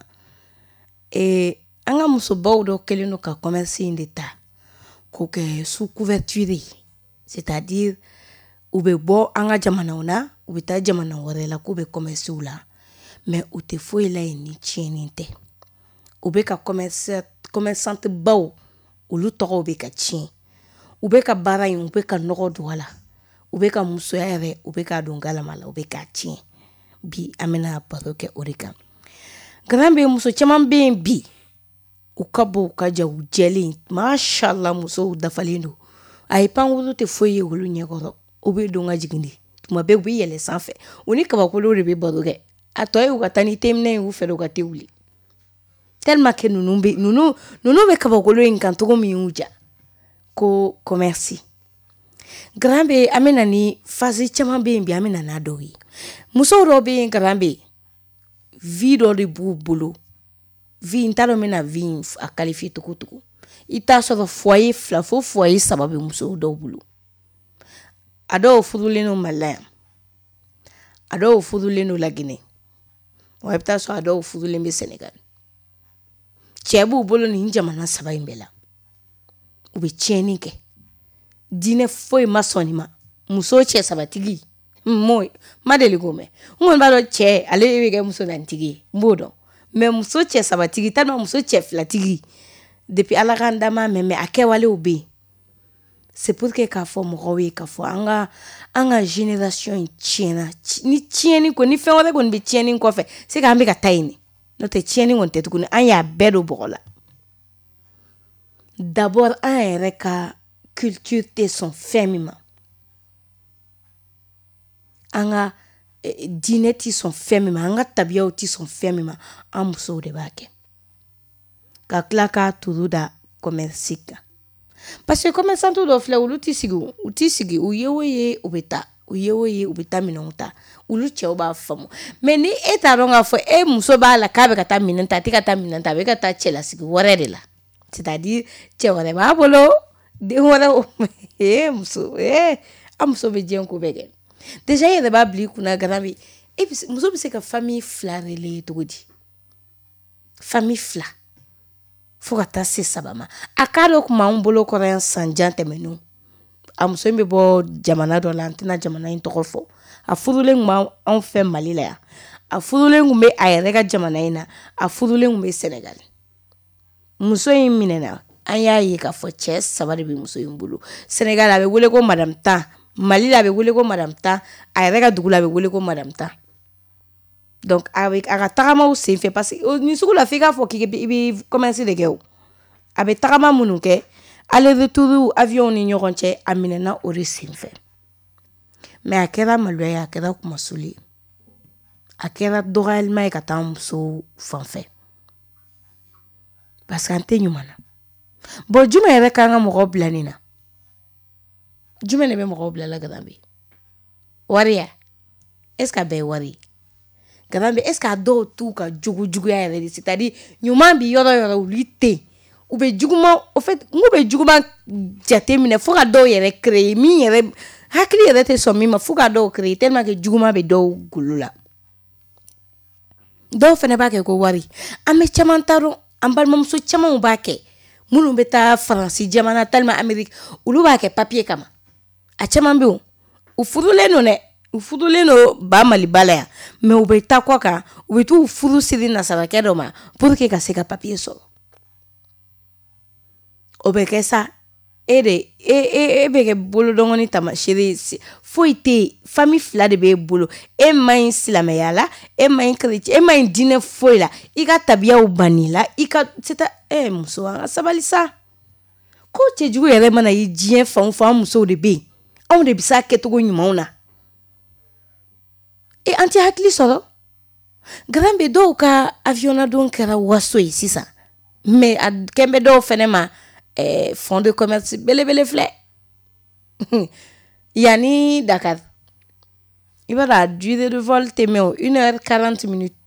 ee an ka musobaw dɔ kɛlen don ka commerce in de ta k'o kɛ sous couverture ye c'est-à-dire u bɛ bɔ an ka jamanaw na u bɛ taa jamana wɛrɛ la k'u bɛ commerce la mais u tɛ foyi la yen ni tiɲɛni tɛ u bɛ ka commerce commerçante baw olu tɔgɔw bɛ ka tiɲɛ u bɛ ka baara in u bɛ ka nɔgɔ don a la u bɛ ka musoya yɛrɛ u bɛ k'a don galama la u bɛ k'a tiɲɛ bi an bɛna baro kɛ o de kan garan bɛ muso caman bɛ yen bi u ka bon u ka ja u jɛlen mashallah musow dafalen don a ye pankuru tɛ foyi ye olu ɲɛkɔrɔ u bɛ don ka jigin de tuma bɛɛ u bɛ yɛlɛ sanfɛ u ni kabakolo de bɛ baro kɛ a tɔ ye u ka taa ni teminɛ ye u fɛ u ka te wuli tellement que ninnu bɛ ninnu ninnu bɛ kabakolo in kan cogo min y'u ja ko commerce garan bɛ an bɛ na ni phase caman bɛ yen bi an bɛ na n'a dɔw ye musow dɔw bɛ yen garan bɛ vie dɔ de b'u bolo vie n t'a dɔn n bɛna vie in a qualifier cogo cogo i t'a sɔrɔ foyer fila fo foyer saba bɛ musow dɔw bolo a dɔw furulen don Mali la yan a dɔw furulen don Laginɛ wa i bɛ taa sɔrɔ a dɔw furulen bɛ Senegal cɛ b'u bolo nin jamana saba in bɛɛ la u bɛ tiɲɛni kɛ Diinɛ foyi ma sɔn nin ma. Muso cɛ sabatigi m'o ma deli k'o mɛn. N kɔni b'a dɔn cɛ ale bɛ kɛ muso naanitigi ye, n b'o dɔn. Mais muso cɛ sabatigi tellement muso cɛ filatigi depuis Ala k'an da m'a mɛn, mais a kɛwalew bɛ yen. C'est pour que k'a fɔ mɔgɔw ye k'a fɔ an ka an ka génération in tiɲɛna. Ni tiɲɛni ko ni fɛn wɛrɛ kɔni bɛ tiɲɛni kɔfɛ, c'est que an bɛ ka taa yen de. N'o tɛ tiɲɛni kɔni tɛ tuguni, an y'a bɛɛ don bɔgɔ la. D'abord an yɛrɛ ka culture tɛ sɔn fɛn min ma, an ka diinɛ tɛ sɔn fɛn min ma, an ka tabiyaw tɛ sɔn fɛn min ma, an musow de b'a kɛ. Ka tila k'a turu da commerce kan. Parce que commerçant dɔw filɛ, olu tɛ sigi, u tɛ sigi, u ye o ye u bɛ taa, u ye o ye u bɛ taa minɛnw ta, olu cɛw b'a faamu. Mais ni e t'a dɔn k'a fɔ e muso b'a la k'a bɛ ka taa minɛn ta, a tɛ ka taa minɛn ta, a bɛ ka taa cɛlasigi wɛrɛ de la. C'est-à-dire cɛ wɛrɛ b'a bolo, den wɛrɛ, ee muso, ee an muso bɛ diɲɛ ko bɛɛ kɛ. Déjà e yɛrɛ b'a bila i kunna Garabi, e bɛ muso bɛ se ka famille fila relayer cogo di? Famille fila fo ka taa se saba ma. A k'a dɔ tun b'anw bolo kɔrɔ yan san jan tɛmɛnenw. A muso in bɛ bɔ jamana dɔ la, an tɛna jamana in tɔgɔ fɔ. A furulen tun b'anw fɛ Mali la yan, a furulen tun bɛ a yɛrɛ ka jamana in na, a furulen tun bɛ Senegal. Muso in minɛna, an y'a ye k'a fɔ cɛ saba de bɛ muso in bolo. Senegal a bɛ wele ko Madame Tan, Mali la a bɛ wele ko Madame Tan, a yɛrɛ ka dugu la a bɛ wele ko Madame Tan. Donc a bɛ a ka tagamaw senfɛ, parce que nin sugu la f'i k'a fɔ k'i bɛ commerce de kɛ o. A bɛ tagama minnu kɛ aller retour avion ni ɲɔgɔn cɛ, a minɛna o de senfɛ. Mais a kɛra maloya ye, a kɛra kumasuli ye, a kɛra dɔgɔyalima ye ka taa musow fan fɛ. Parce que an tɛ ɲuman na. Bon, jumɛn yɛrɛ kan ka mɔgɔw bila nin na? Jumɛn de bɛ mɔgɔw bila la Garabi? Wari ya? Est-ce que a bɛɛ ye wari ye? Garabi, est-ce que a dɔw t'u ka jogo juguya yɛrɛ de? C'est-à-dire ɲuman bi yɔrɔ yɔrɔ olu tɛ yen. U bɛ juguman, au fait, n ko bɛ juguman jate minɛ fo ka dɔw yɛrɛ créer min yɛrɛ hakili yɛrɛ tɛ sɔn min ma, fo ka dɔw créer tellement que juguman bɛ dɔw golo la. Dɔw fana b'a kɛ ko wari. An bɛ caman ta dɔn, an balimamuso camanw b'a kɛ. Minnu bɛ taa Faransi jamana talima Amérique, olu b'a kɛ papier kama. A caman bɛ yen, u furulen don dɛ, u furulen don ba Maliba la yan, mais u bɛ taa kɔ kan, u bɛ t'u furu siri nasarakɛ dɔ ma pour que ka se ka papier sɔrɔ. O bɛ kɛ sa, e de e e e bɛ kɛ bolodɔngɔni taamasere ye, foyi tɛ yen, famille fila de b'e bolo, e man ɲi silamɛya la, e man ɲi chrétien, e man ɲi diinɛ foyi la, i ka tabiyaw bann'i la, i ka c'est à eh muso, an ka sabali sa. Ko cɛjugu yɛrɛ mana ye diɲɛ fan o fan, an musow de bɛ yen, anw de bɛ s'a kɛcogo ɲumanw na. E an tɛ hakili sɔrɔ. Garan bɛ dɔw ka avion na don kɛra waso ye sisan, mais a kɛn bɛ dɔw fɛnɛ ma eh, fonds de commerce belebele filɛ. Yanni Dakar, i b'a dɔn a durée de vol tɛ mɛn o, une heure quarante minutes.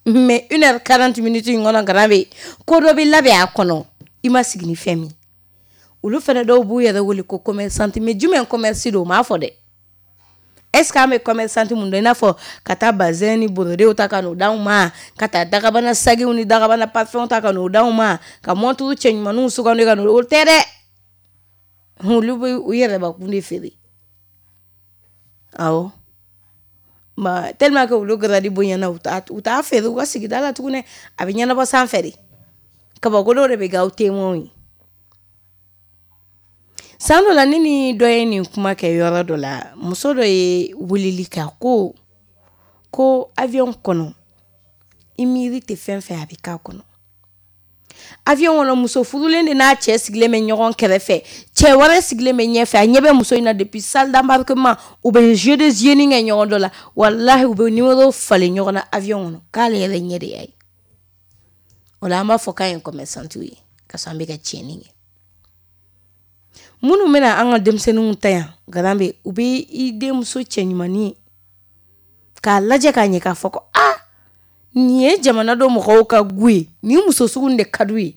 Mais une heure quarante minutes in kɔnɔ, Garan bɛ ko dɔ bɛ labɛn a kɔnɔ, i ma sigi ni fɛn min. Olu fɛnɛ dɔw b'u yɛrɛ wele ko commerçante, mais jumɛn commerce don, o m'a fɔ dɛ. Est-ce que an bɛ commerçante mun dɔn, i n'a fɔ ka taa bazin ni borodew ta ka n'o d'anw ma, ka taa dagabana sagiw ni dagabana parfum ta ka n'o d'anw ma, ka montre cɛ ɲumaninw sugandi ka n'o, o tɛ dɛ. Olu bɛ u yɛrɛbakun de feere. Awɔ. Ma tellement que olu grade bonyana, u t'a u t'a feere u ka sigida la tuguni, a bɛ ɲɛnabɔ sanfɛ de. Kabako dɔw de bɛ kɛ aw témoin ye. San dɔ la, ne ni dɔ ye nin kuma kɛ yɔrɔ dɔ la, muso dɔ ye weleli kɛ ko ko avion kɔnɔ, i miiri tɛ fɛn fɛn a bɛ k'a kɔnɔ. Avion kɔnɔ, muso furulen de n'a cɛ sigilen bɛ ɲɔgɔn kɛrɛfɛ, cɛ wɛrɛ sigilen bɛ ɲɛfɛ, a ɲɛ bɛ muso in na depuis salle d'embarquement, u bɛ jeu de yeux kɛ ɲɔgɔn dɔ la, walahi u bɛ numéro falen ɲɔgɔn na avion kɔnɔ, k'ale yɛrɛ ɲɛ de y'a ye. O la an b'a fɔ k'an ye commerçante ye, ka sɔrɔ an bɛ ka tiɲɛni kɛ. Minnu bɛna an ka denmisɛnninw ta yan, Garan bɛ u bɛ i denmuso cɛ ɲumannin k'a lajɛ k'a ɲɛ k'a fɔ ko aa nin ye jamana dɔ mɔgɔw ka gu ye, nin muso sugu de ka d'u ye.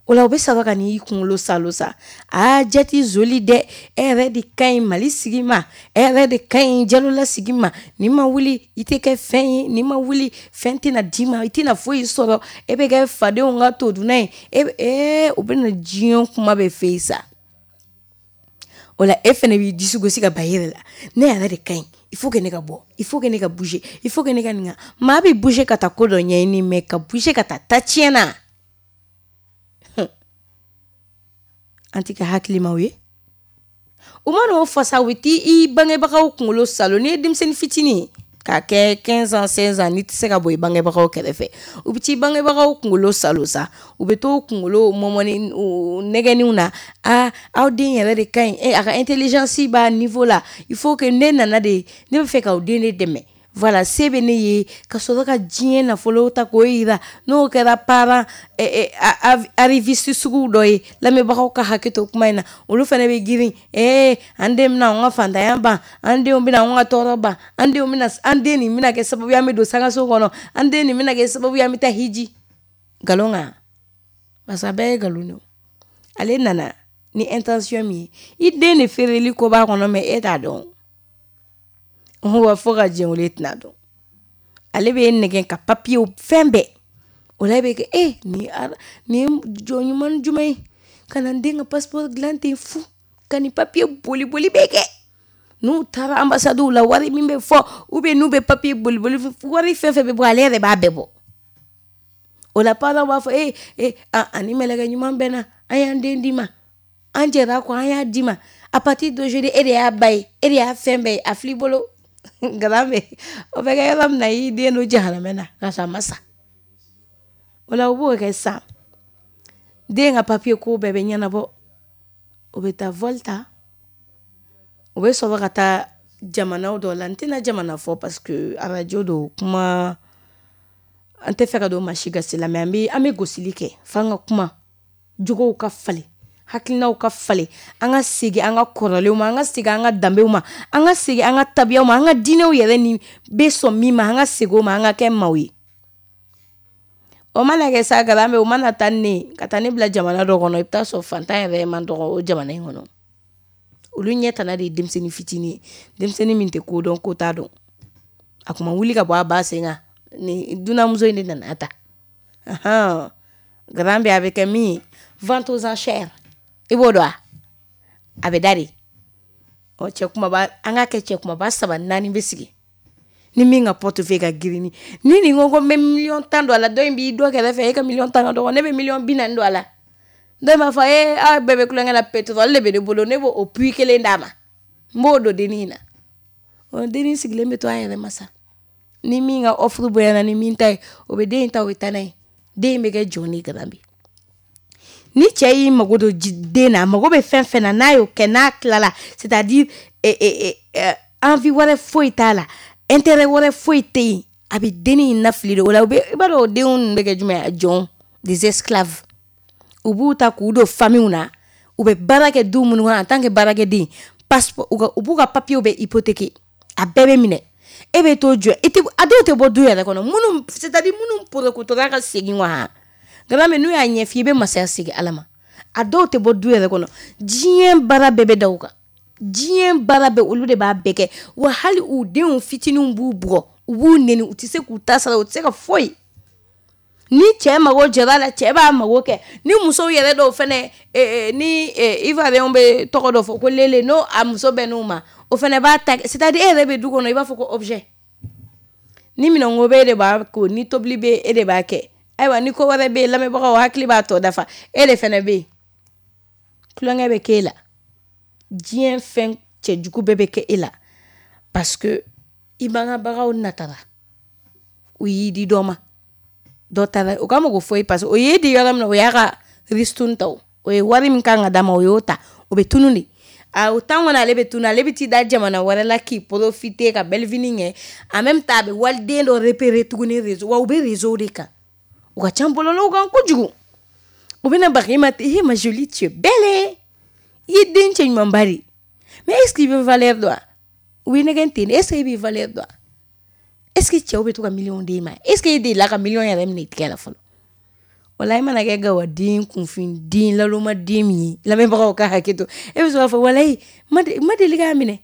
O la u bɛ sɔrɔ ka n'i kunkolo salo sa, aa jati zoli dɛ, e yɛrɛ de ka ɲi Mali sigi ma, e yɛrɛ de ka ɲi Jalola sigi ma, n'i ma wuli i tɛ kɛ fɛn ye, n'i ma wuli fɛn tɛna d'i ma, i tɛna foyi sɔrɔ, e bɛ kɛ fadenw ka todunna ye, e ee u bɛna diɲɛ kuma bɛɛ f'e ye sa. O la e fɛnɛ b'i disi gosi ka ba yɛrɛ la, ne yɛrɛ de ka ɲi, il faut que ne ka bɔ, il faut que ne ka bouger, il faut que ne ka nin ka. Maa bɛ bouger ka taa ko dɔ ɲɛɲini, mais ka bouger ka taa ta tiɲɛ na, an tɛ kɛ hakilimaw ye. U mana o fɔ sa, u bɛ t'i bangebagaw kunkolo salo. N'i ye denmisɛnnin fitinin ye k'a kɛ quinze ans seize ans, n'i tɛ se ka bɔ i bangebagaw kɛrɛfɛ, u bɛ t'i bangebagaw kunkolo salo sa, u bɛ t'o kunkolo mɔmɔni nɛgɛnniw na. Aa, aw den yɛrɛ de ka ɲi, a ka intelligence b'a niveau la, il faut que ne nana de, ne bɛ fɛ k'aw den de dɛmɛ. Voilà, se bɛ ne ye ka sɔrɔ ka diɲɛ nafolo ta k'o yira. N'o kɛra parent arriviste sugu dɔ ye, lamɛnbagaw ka hakɛ to kuma in na, olu fana bɛ girin, ee an den bɛna anw ka fantanya ban, an denw bɛna anw ka tɔɔrɔ ban, an denw bɛna, an den nin bɛna kɛ sababu ye an bɛ don sangaso kɔnɔ, an den nin bɛna kɛ sababu ye an bɛ taa hiji. Nkalon kan, parce que a bɛɛ ye nkalon de ye. Ale nana ni intention min ye, i den de feereli ko b'a kɔnɔ, mais e t'a dɔn. Wa fo ka diɲɛ wuli e tɛna dɔn. Ale bɛ nɛgɛn ka papiyew fɛn bɛɛ. O la e bɛ kɛ e nin nin jɔn ɲuman jumɛn ye ka na n den ka passeport dilan ten fu, ka nin papiye boli boli bɛɛ kɛ. N'u taara ambassadew la, wari min bɛ fɔ, ou bien n'u bɛ papiye boli boli, wari fɛn fɛn bɛ bɔ, ale yɛrɛ b'a bɛɛ bɔ. O la parents b'a fɔ e e ani mɛlɛkɛ ɲuman bɛ na, an y'an den d'i ma, an jɛra kɔ, an y'a d'i ma. À partir d'aujourd'hui, e de y'a ba ye, e de y'a fɛn bɛɛ ye, a fil'i bolo. Nkalamɛ o bɛ kɛ yɔrɔ min na, i den don jahanamɛ na ka sɔrɔ a ma sa. O la u b'o kɛ sisan, den ka papiye ko bɛɛ bɛ ɲɛnabɔ, o bɛ taa vol ta, o bɛ sɔrɔ ka taa jamanaw dɔ la. N tɛna jamana fɔ parce que arajo don, kuma an tɛ fɛ ka don maa si gasi la, mais an bɛ an bɛ gosili kɛ f'an ka kuma, jogow ka falen, hakilinaw ka falen, an ka segin an ka kɔrɔlenw ma, an ka segin an ka danbew ma, an ka segin an ka tabiyaw ma, an ka diinɛw yɛrɛ ni bɛ sɔn min ma, an ka segin o ma, an ka kɛ maaw ye. O mana kɛ sa, garan bɛ o mana taa ne ka taa ne bila jamana dɔ kɔnɔ, i bɛ taa sɔrɔ fantan yɛrɛ man dɔgɔ o jamana in kɔnɔ. Olu ɲɛ tana de ye denmisɛnnin fitinin ye, denmisɛnnin min tɛ ko dɔn ko t'a dɔn, a kuma wuli ka bɔ a ba sen kan, ni dunanmuso in de nana ta. Garan bɛ a bɛ kɛ min ye, vente aux enchères, i b'o dɔn wa? A bɛ da de. Ɔ cɛ kumaba, an k'a kɛ cɛ kumaba saba naani bɛ sigi, ni min ka portefeuille ka girin, ni nin ko ko n bɛ miliyɔn tan don a la, dɔ in b'i dɔ kɛrɛfɛ, e ka miliyɔn tan ka dɔgɔ, ne bɛ miliyɔn bi naani don a la. Dɔ in b'a fɔ ee aw bɛɛ bɛ kulonkɛ la, pétrole de bɛ ne bolo, ne b'o o puits kelen d'a ma, n b'o don dennin in na. Ɔ dennin sigilen bɛ to a yɛrɛ ma sa, ni min ka offre bonyana ni min ta ye, o bɛ den in ta, o bɛ taa n'a ye. Den in bɛ kɛ jɔn de ye garan bi. Ni cɛ y'i mago don den na, a mago bɛ fɛn fɛn na, n'a y'o kɛ, n'a tilala, c'est-à-dire envie wɛrɛ foyi t'a la, intérêt wɛrɛ foyi tɛ yen, a bɛ dennin in lafili de. O la u bɛ, i b'a dɔn o denw ninnu bɛ kɛ jumɛn ye? Jɔn, des esclaves. U b'u ta k'u don famille na, u bɛ baara kɛ du minnu kɔnɔ en tant que baarakɛden, passeport, u ka u b'u ka papiers bɛɛ hypothéquer, a bɛɛ bɛ minɛ. E bɛ t'o jɔ, i tɛ, a dɔw tɛ bɔ du yɛrɛ kɔnɔ, minnu c'est-à-dire minnu porokotora ka segin wa. Nka n'u y'a ɲɛf'i ye, i bɛ masaya segin Ala ma. A dɔw tɛ bɔ du yɛrɛ kɔnɔ, diɲɛ baara bɛɛ bɛ da u kan, diɲɛ baara bɛɛ olu de b'a bɛɛ kɛ. Wa hali u denw fitininw b'u bugɔ, u b'u neni, u tɛ se k'u ta sara, u tɛ se ka foyi. Ni cɛ mago jɔra la, cɛ b'a mago kɛ. Ni musow yɛrɛ dɔw fɛnɛ, ni Ivoiriyɛnw bɛ tɔgɔ dɔ fɔ ko lele, n'o a muso bɛ n'u ma, o fɛnɛ b'a ta. C'est-à-dire e yɛrɛ bɛ du kɔnɔ, i b'a fɔ ko objet. Ni minɛnko bɛ e de b'a ko, ni tobili bɛ e de b'a kɛ. Ayiwa ni ko wɛrɛ bɛ yen, lamɛnbagaw hakili b'a tɔ dafa, e de fɛnɛ bɛ yen. Tulonkɛ bɛ k'e la, diɲɛ fɛn cɛjugu bɛɛ bɛ kɛ e la, parce que i bangebagaw natara, u y'i di dɔ ma, dɔ taara, o ka mago foyi, parce que o y'e di yɔrɔ min na, o y'a ka ristourne ta, o ye wari min kan ka d'a ma, o y'o ta, o bɛ tunun de. A o temps kɔnɔ ale bɛ tunun, ale bɛ t'i da jamana wɛrɛ la k'i profiter ka belle vie kɛ. En même temps a bɛ waliden dɔ repérer tuguni réseau, wa u bɛ réseau de kan. U ka ca bɔlɔlɔw kan kojugu. U bɛna baga i ma, eh ma jolie, tu es belle, i ye den cɛ ɲumanba de, mais est-ce que i bɛ valeur dɔn wa? U bɛ nɛgɛn ten de, est-ce que i bɛ valeur dɔn wa? Est-ce que cɛw bɛ to ka miliyɔn d'e ma? Est-ce que e delila ka miliyɔn yɛrɛ minɛ i tigɛ la fɔlɔ? Wala i mana kɛ gawaden, kunfin lalomaden min ye, lamɛnbagaw ka hakɛ to, e bɛ sɔrɔ k'a fɔ walayi ma deli k'a minɛ.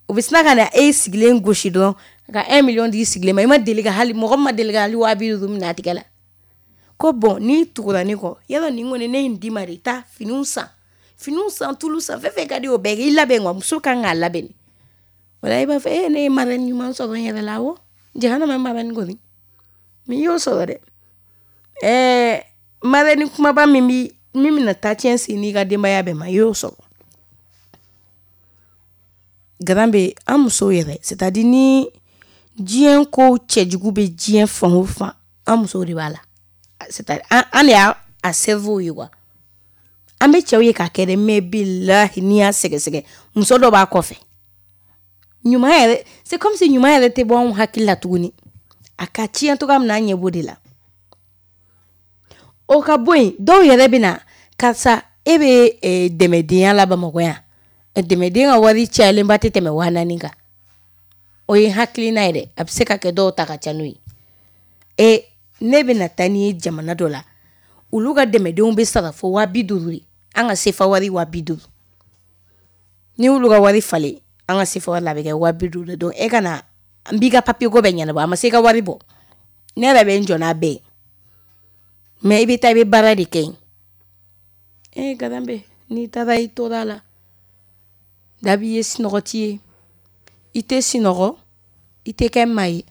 O bɛ sina ka na e sigilen gosi dɔrɔn ka un million di sigilen ma. I ma deli ka hali mɔgɔ ma deli ka hali waa bi duuru minɛ a tigɛ la. Ko bon, n'i tugura ne kɔ, yala nin kɔni ne ye nin d'i ma de, taa finiw san, Finiw san, tulu san, fɛn fɛn ka di o bɛɛ kɛ, i labɛn quoi. Muso kan k'a labɛn. Wala i b'a fɔ e ne ye marraine ɲuman sɔrɔ n yɛrɛ la, awɔ. Jahanama marraine kɔni. Mais i y'o sɔrɔ dɛ. Ɛɛ marraine kumaba min bi min bɛna taa tiɲɛ sen n'i ka denbaya bɛɛ ma, i y'o sɔrɔ. Garan bɛ an musow yɛrɛ, c'est à dire ni diɲɛ ko cɛjugu bɛ diɲɛ fan o fan, an musow de b'a la. C'est à dire an an de y'a a cerveau ye quoi. An bɛ cɛw ye k'a kɛ dɛ, mais bilahi n'i y'a sɛgɛsɛgɛ, muso dɔ b'a kɔfɛ. Ɲuman yɛrɛ, c'est comme si ɲuman yɛrɛ tɛ bɔ anw hakili la tuguni. A ka tiɲɛ cogoya min na, an ɲɛ b'o de la. O ka bɔ yen, dɔw yɛrɛ bɛ na, karisa e bɛ dɛmɛdenya la Bamakɔ yan. Dɛmɛden ka wari cayalenba tɛ tɛmɛ waa naani kan. O ye hakilina ye dɛ, a bɛ se ka kɛ dɔw ta ka ca n'o ye. E ne bɛna taa n'i ye jamana dɔ la, olu ka dɛmɛdenw bɛ sara fo waa bi duuru de. An ka sefa wari waa bi duuru. N'i y'olu ka wari falen an ka sefa wari la, a bɛ kɛ waa bi duuru de. Donc e ka na n b'i ka papier ko bɛɛ ɲɛnabɔ, a ma se i ka wari bɔ. Ne yɛrɛ bɛ n jɔ n'a bɛɛ ye. Mais i bɛ taa i bɛ baara de kɛ yen. E Garambe, n'i taara i tora a la. Dabi ye sinɔgɔti ye. I tɛ sinɔgɔ, i tɛ kɛ maa ye.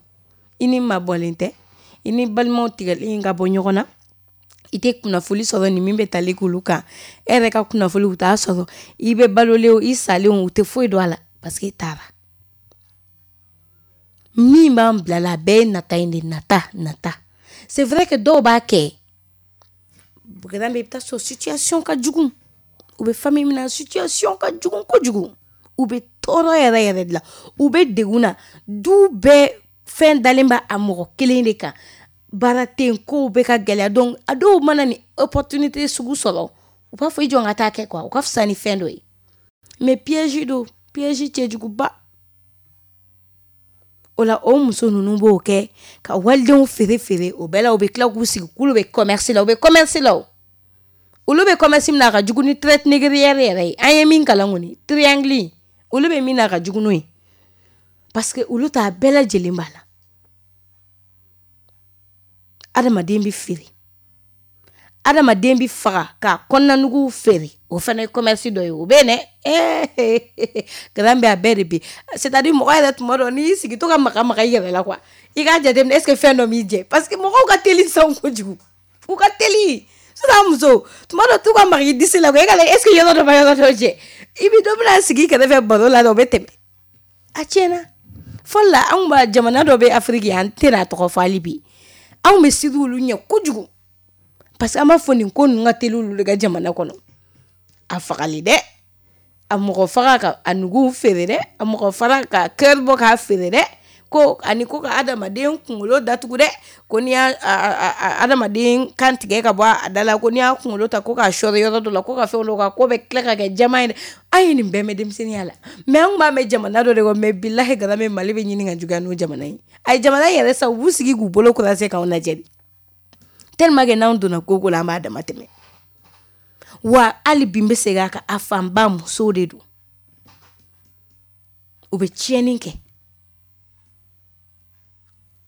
I ni mabɔlen tɛ, i ni balimaw tigɛlen ka bɔ ɲɔgɔn na. I tɛ kunnafoli sɔrɔ ni min bɛ tali k'olu kan. E yɛrɛ ka kunnafoli u t'a sɔrɔ. I bɛ balolen o, i salen o, u tɛ foyi dɔn a la parce que e taara. Min b'an bila la, a bɛɛ ye nata in de, nata, nata. C'est vrai que dɔw b'a kɛ. Garambe, i bɛ taa sɔrɔ situation ka jugu. U bɛ famille min na, situation ka jugu kojugu. U bɛ tɔɔrɔ yɛrɛ yɛrɛ de la. U bɛ degun na. Du bɛɛ fɛn dalen b'a a mɔgɔ kelen de kan. Baara tɛ yen, kow bɛ ka gɛlɛya. Donc a dɔw mana ni opportunité sugu sɔrɔ, u b'a fɔ i jɔ n ka taa kɛ quoi. O ka fisa ni fɛn dɔ ye. Mais piège don, piège cɛjuguba. O la o muso ninnu b'o kɛ ka walidenw feere feere. O bɛɛ la u bɛ tila k'u sigi k'olu bɛ commerce la, u bɛ commerce la o. Olu bɛ commerce min na, a ka jugu ni traite négrière yɛrɛ ye. An ye min kalan kɔni, triangle, olu bɛ min na, a ka jugu n'o ye. Parce que olu t'a bɛɛ lajɛlen b'a la. Adamaden bɛ feere, adamaden bɛ faga k'a kɔnɔnanuguw feere, o fana ye commerce dɔ ye. O bɛ yen dɛ. Garan bɛ a bɛɛ de bɛ. C'est à dire mɔgɔ yɛrɛ tuma dɔ n'i y'i sigi to ka maga maga i yɛrɛ la quoi, i k'a jateminɛ est ce que fɛn dɔ m'i jɛ, parce que mɔgɔw ka teli sisan kojugu. U ka teli. Sisan muso tuma dɔ t'u ka maga i disi la quoi, e ka lajɛ est ce que yɔrɔ dɔ ma yɔrɔ dɔ jɛ. I bi dɔ bɛna sigi i kɛrɛfɛ baro la dɛ, o bɛ tɛmɛ. A tiɲɛna. Fɔlɔ la anw b'a jamana dɔ bɛ Afiriki, an tɛna a tɔgɔ fɔ hali bi. Anw bɛ siran olu ɲɛ kojugu. Parce que an b'a fɔ nin ko ninnu ka teli olu de ka jamana kɔnɔ. A fagali dɛ, a mɔgɔ faga ka a nuguw feere dɛ, a mɔgɔ fara ka cœur bɔ k'a feere dɛ, ko ani ko ka adamaden kunkolo datugu dɛ, ko n'i y'a adamaden kan tigɛ ka bɔ a da la, ko n'i y'a kunkolo ta ko k'a sɔri yɔrɔ dɔ la, ko ka fɛnw dɔ kan, ko bɛ tila ka kɛ jama ye dɛ. An ye nin bɛɛ mɛn denmisɛnninya la. Mais an tun b'a mɛn jamana dɔ de kɔ, mais bilahi Garambe, Mali bɛ ɲini ka juguya n'o jamana ye. A ye jamana yɛrɛ sa, u b'u sigi k'u bolo croiser k'anw lajɛ de. Tellement que n'anw donna ko ko la, an b'a dama tɛmɛ. Wa hali bi n bɛ segin a kan, a fanba musow de don. U bɛ tiɲɛni kɛ.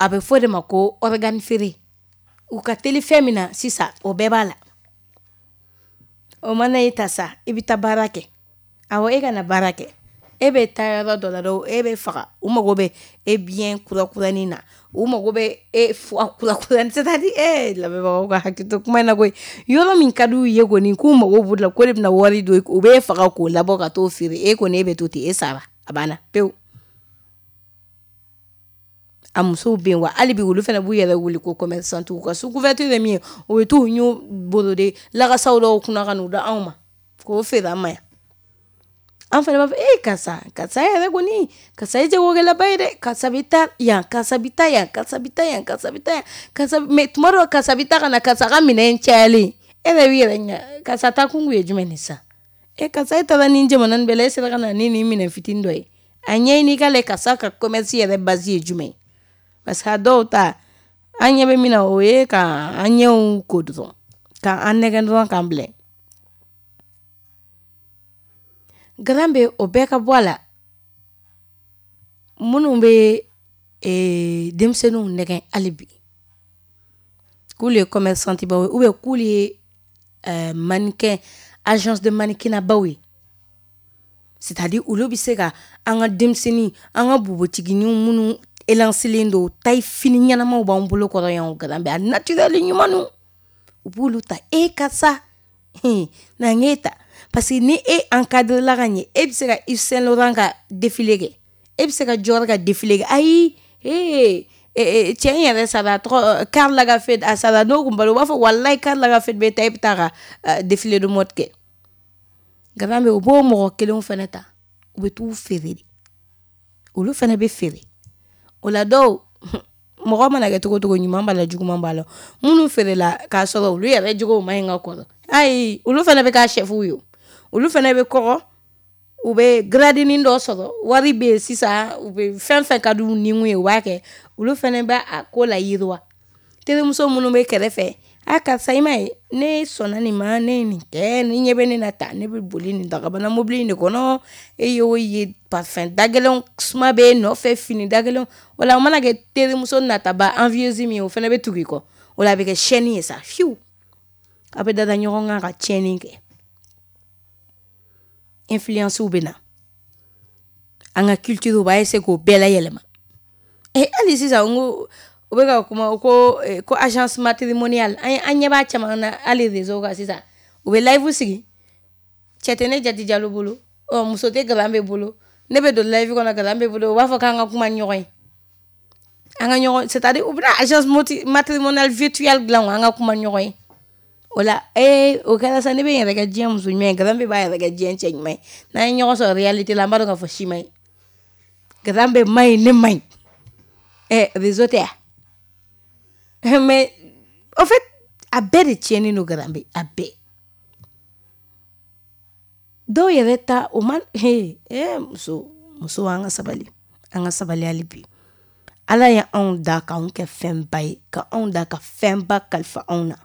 A bɛ fɔ de ma ko organe feere. U ka teli fɛn min na sisan, o bɛɛ b'a la. O mana e ta sa, i bɛ taa baara kɛ. Awɔ, e ka na baara kɛ. E bɛ taa yɔrɔ dɔ la dɔrɔn, e bɛ faga. U mago bɛ e biɲɛ kurakuranin na. U mago bɛ e foie kurakuranin. C'est à dire, eh, lamɛnbagaw ka hakili to kuma in na koyi. Yɔrɔ min ka d'u ye kɔni, k'u mago b'o la, ko de bɛna wari don, u bɛ e faga k'o labɔ ka t'o feere. E kɔni e bɛ to ten, e sara. A banna pewu. A musow bɛ yen wa hali bi olu fana b'u yɛrɛ wele ko commerçant. U ka sous couverture ye min ye, o bɛ t'u ɲun borode lakasaw dɔw kunna ka n'u da anw ma k'o feere an ma yan. An fana b'a fɔ e karisa, karisa yɛrɛ kɔni, karisa ye jagokɛlaba ye dɛ, karisa bɛ taa yan, karisa bɛ taa yan, karisa bɛ taa yan, karisa bɛ taa yan, karisa. Mais tuma dɔ karisa bɛ taa ka na karisa ka minɛn cayalen, e yɛrɛ b'i yɛrɛ ɲininka karisa taa kun ye jumɛn ye sisan? E karisa e taara nin jamana nin bɛɛ la, e sera ka na ni nin minɛn fitinin dɔ ye. A ɲɛɲini i ka lajɛ karisa ka commerce yɛrɛ base ye jumɛn ye. Parce que a dɔw ta, an ɲɛ bɛ min na, o ye ka an ɲɛw ko dɔrɔn, k'an nɛgɛn dɔrɔn k'an bila. Garambe, o bɛɛ ka bɔ a la. Minnu bɛ denmisɛnninw nɛgɛn hali bi, k'olu ye commerçant baw ye, ou bien k'olu ye mannequin agence de mannequinat baw ye. C'est-à-dire olu bɛ se ka an ka denmisɛnnin, an ka npogotigininw minnu élancelen don, taille fini ɲɛnamaw b'an bolo kɔrɔ yan, Garambe a naturel ɲumanw, u b'olu ta. E karisa, na n k'e ta, parce que ni e encadré la ka ɲɛ, e bɛ se ka Yves Saint Laurent ka défilé kɛ, e bɛ se ka Dior ka défilé kɛ. Ayi, ee cɛ in yɛrɛ sara, a tɔgɔ Karl Lagerfeld, a sara n'o kun balo, u b'a fɔ walayi Karl Lagerfeld bɛ taa, e bɛ taa ka défilé de mode kɛ. Garambe u b'o mɔgɔ kelenw fana ta, u bɛ t'u feere de, olu fana bɛ feere. O la dɔw, mɔgɔ mana kɛ cogo cogo, ɲuman b'a la, juguman b'a la. Minnu feerela k'a sɔrɔ olu yɛrɛ jogow ma ɲi ka kɔrɔ, ayi, olu fana bɛ k'a chefw ye, olu fana bɛ kɔgɔ, u bɛ gradinin dɔ sɔrɔ, wari bɛ yen sisan, u bɛ fɛn fɛn ka di u ni ye, u b'a kɛ. Olu fana bɛ a ko la yiriwa. Terimuso minnu bɛ kɛrɛfɛ, a karisa, i ma ye, ne sɔnna nin ma, ne ye nin kɛ, ni ɲɛ bɛ ne na ta, ne bɛ boli nin dagabana mobili in de kɔnɔ, e y'o ye, parfum dagɛlɛnw suma bɛ e nɔfɛ, fini dagɛlɛnw. O la o mana kɛ terimuso nataba envieuse min ye, o fana bɛ tugu i kɔ. O la a bɛ kɛ chaîne ye sa, fiyewu, a bɛ dada ɲɔgɔn kan ka tiɲɛni kɛ. Influence bɛ na, an ka culture u b'a essayer k'o bɛɛ layɛlɛma. Eh, hali sisan n ko u bɛ ka kuma ko ko agence matrimoniale, an an ɲɛ b'a caman na hali réseau kan sisan. U bɛ live sigi, cɛ tɛ ne jati jalo bolo, ɔ muso tɛ Garambe bolo, ne bɛ don live kɔnɔ Garambe bolo, u b'a fɔ k'an ka kuma ni ɲɔgɔn ye, an ka ɲɔgɔn, c'est-à-dire u bɛna agence matrimoniale virtuelle dilan, an ka kuma ni ɲɔgɔn ye. O la ee o kɛra sa, ne bɛ n yɛrɛ kɛ diɲɛ muso ɲuman ye, Garambe b'a yɛrɛ kɛ diɲɛ cɛ ɲuman ye. N'an ye ɲɔgɔn sɔrɔ réalité la, an b'a dɔn k'a fɔ si man ɲi, Garambe man ɲi, ne man ɲi. Ɛ réseau tɛ yan. Mais en fait, a bɛɛ de tiɲɛnen don Garambe, a bɛɛ. Dɔw yɛrɛ ta o ma, he eh muso muso an ka sabali, an ka sabali hali bi. Ala ye anw da k'anw kɛ fɛnba ye, ka anw da ka fɛnba kalifa anw na.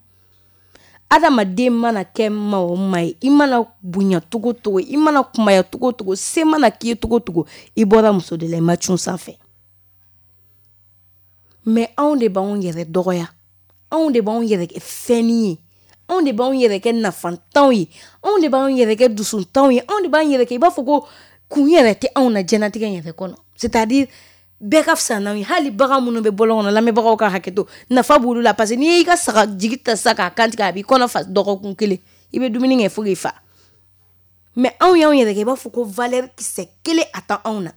Adamaden mana kɛ maa o maa ye, i mana bonya togo togo, i mana kumaya togo togo, se mana k'i ye togo togo, i bɔra muso de la, i ma cun sanfɛ. Mais anw de b'anw yɛrɛ dɔgɔya, anw de b'anw yɛrɛ kɛ fɛnnin ye, anw de b'anw yɛrɛ kɛ nafantanw ye, anw de b'anw yɛrɛ kɛ dusuntanw ye, anw de b'an yɛrɛ kɛ i b'a fɔ ko kun yɛrɛ tɛ anw na diɲɛlatigɛ in yɛrɛ kɔnɔ. C'est-à-dire bɛɛ ka fisa n'anw ye. Hali bagan minnu bɛ bɔlɔn kɔnɔ, lamɛnbagaw ka hakɛ to, nafa b'olu la, parce que n'i y'i ka saga jigi ta sisan k'a kantigɛ, a b'i kɔnɔ fa dɔgɔkun kelen, i bɛ dumuni kɛ fo k'i fa. Mais anw y'anw yɛrɛ kɛ i b'a fɔ ko valeur kisɛ kelen a t'anw na.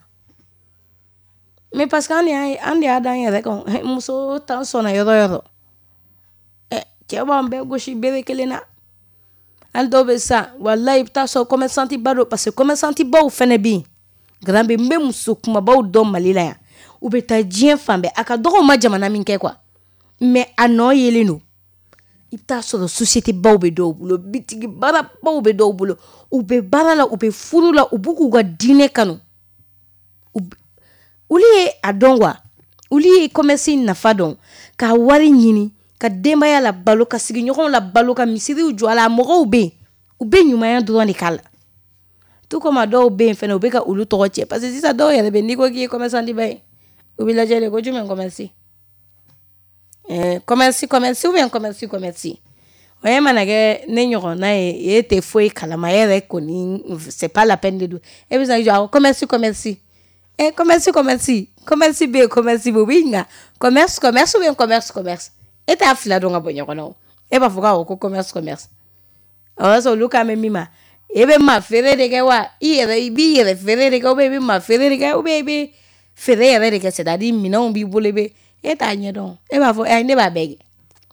Mais parce que an de y'a an de y'a d'an yɛrɛ kan. Muso tan sɔnna yɔrɔ yɔrɔ, ɛ cɛ b'an bɛɛ gosi bere kelen na. Hali dɔw bɛ sa, walayi i bɛ taa sɔrɔ commerçant ba don, parce que commerçant baw fɛnɛ bɛ yen. Garambe, n bɛ muso kumabaw dɔn Mali la yan, u bɛ taa diɲɛ fan bɛɛ, a ka dɔgɔ u ma jamana min kɛ quoi, mais a nɔ yelen don. I bɛ taa sɔrɔ société baw bɛ dɔw bolo, bitigi baarabaw bɛ dɔw bolo, u bɛ baara la, u bɛ furu la, u b'u k'u ka diinɛ kanu. Olu ye a dɔn quoi, olu ye commerce nafa dɔn, ka wari ɲini, ka denbaya la balo, ka sigiɲɔgɔnw la balo, ka misiriw jɔ a la. Mɔgɔw bɛ yen, u bɛ ɲumanya dɔrɔn de k'a la. Tout comme a dɔw bɛ yen fɛnɛ, u bɛ ka olu tɔgɔ tiɲɛ, parce que sisan dɔw yɛrɛ bɛ yen, n'i ko k'i ye commerçant ba ye, u bɛ lajɛ de ko jumɛn commerce, ɛɛ commerce commerce ou bien commerce commerce. O ye mana kɛ ne ɲɔgɔnna ye, e tɛ foyi kalama, e yɛrɛ kɔni c'est pas la peine de don, e bɛ se ka jɔ a commerce commerce. Eh, commerce commerce commerce bɛ yen, commerce bɛ yen, u b'i ɲininka commerce commerce ou bien commerce commerce, e t'a fila dɔn ka bɔ ɲɔgɔn na o, e b'a fɔ ko ko commerce commerce. O y'a sɔrɔ olu kan bɛ min ma, e bɛ maa feere de kɛ wa, i yɛrɛ i b'i yɛrɛ feere de kɛ, ou bien i bɛ maa feere de kɛ, ou bien i bɛ feere yɛrɛ de kɛ, c'est-à-dire minɛnw b'i bolo, i bɛ e t'a ɲɛdɔn, e b'a fɔ ɛ ne b'a bɛɛ kɛ.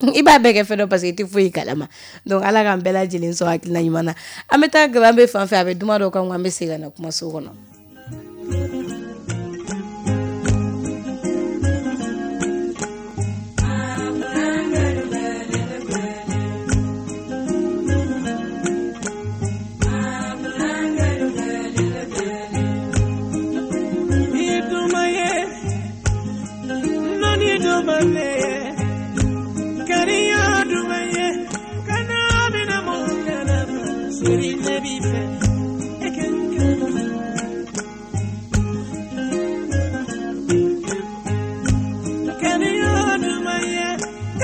I b'a bɛɛ kɛ fɛn dɔ parce que i tɛ foyi kalama. Donc ala k'an bɛɛ lajɛlen sɔn hakilina ɲuman na. An bɛ taa Garambe fan fɛ, a bɛ duma dɔ kan, an bɛ segin ka na kumaso kɔnɔ.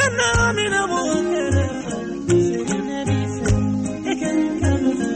Kana mina mo kana fa, seri nabi fa, ekan kanu.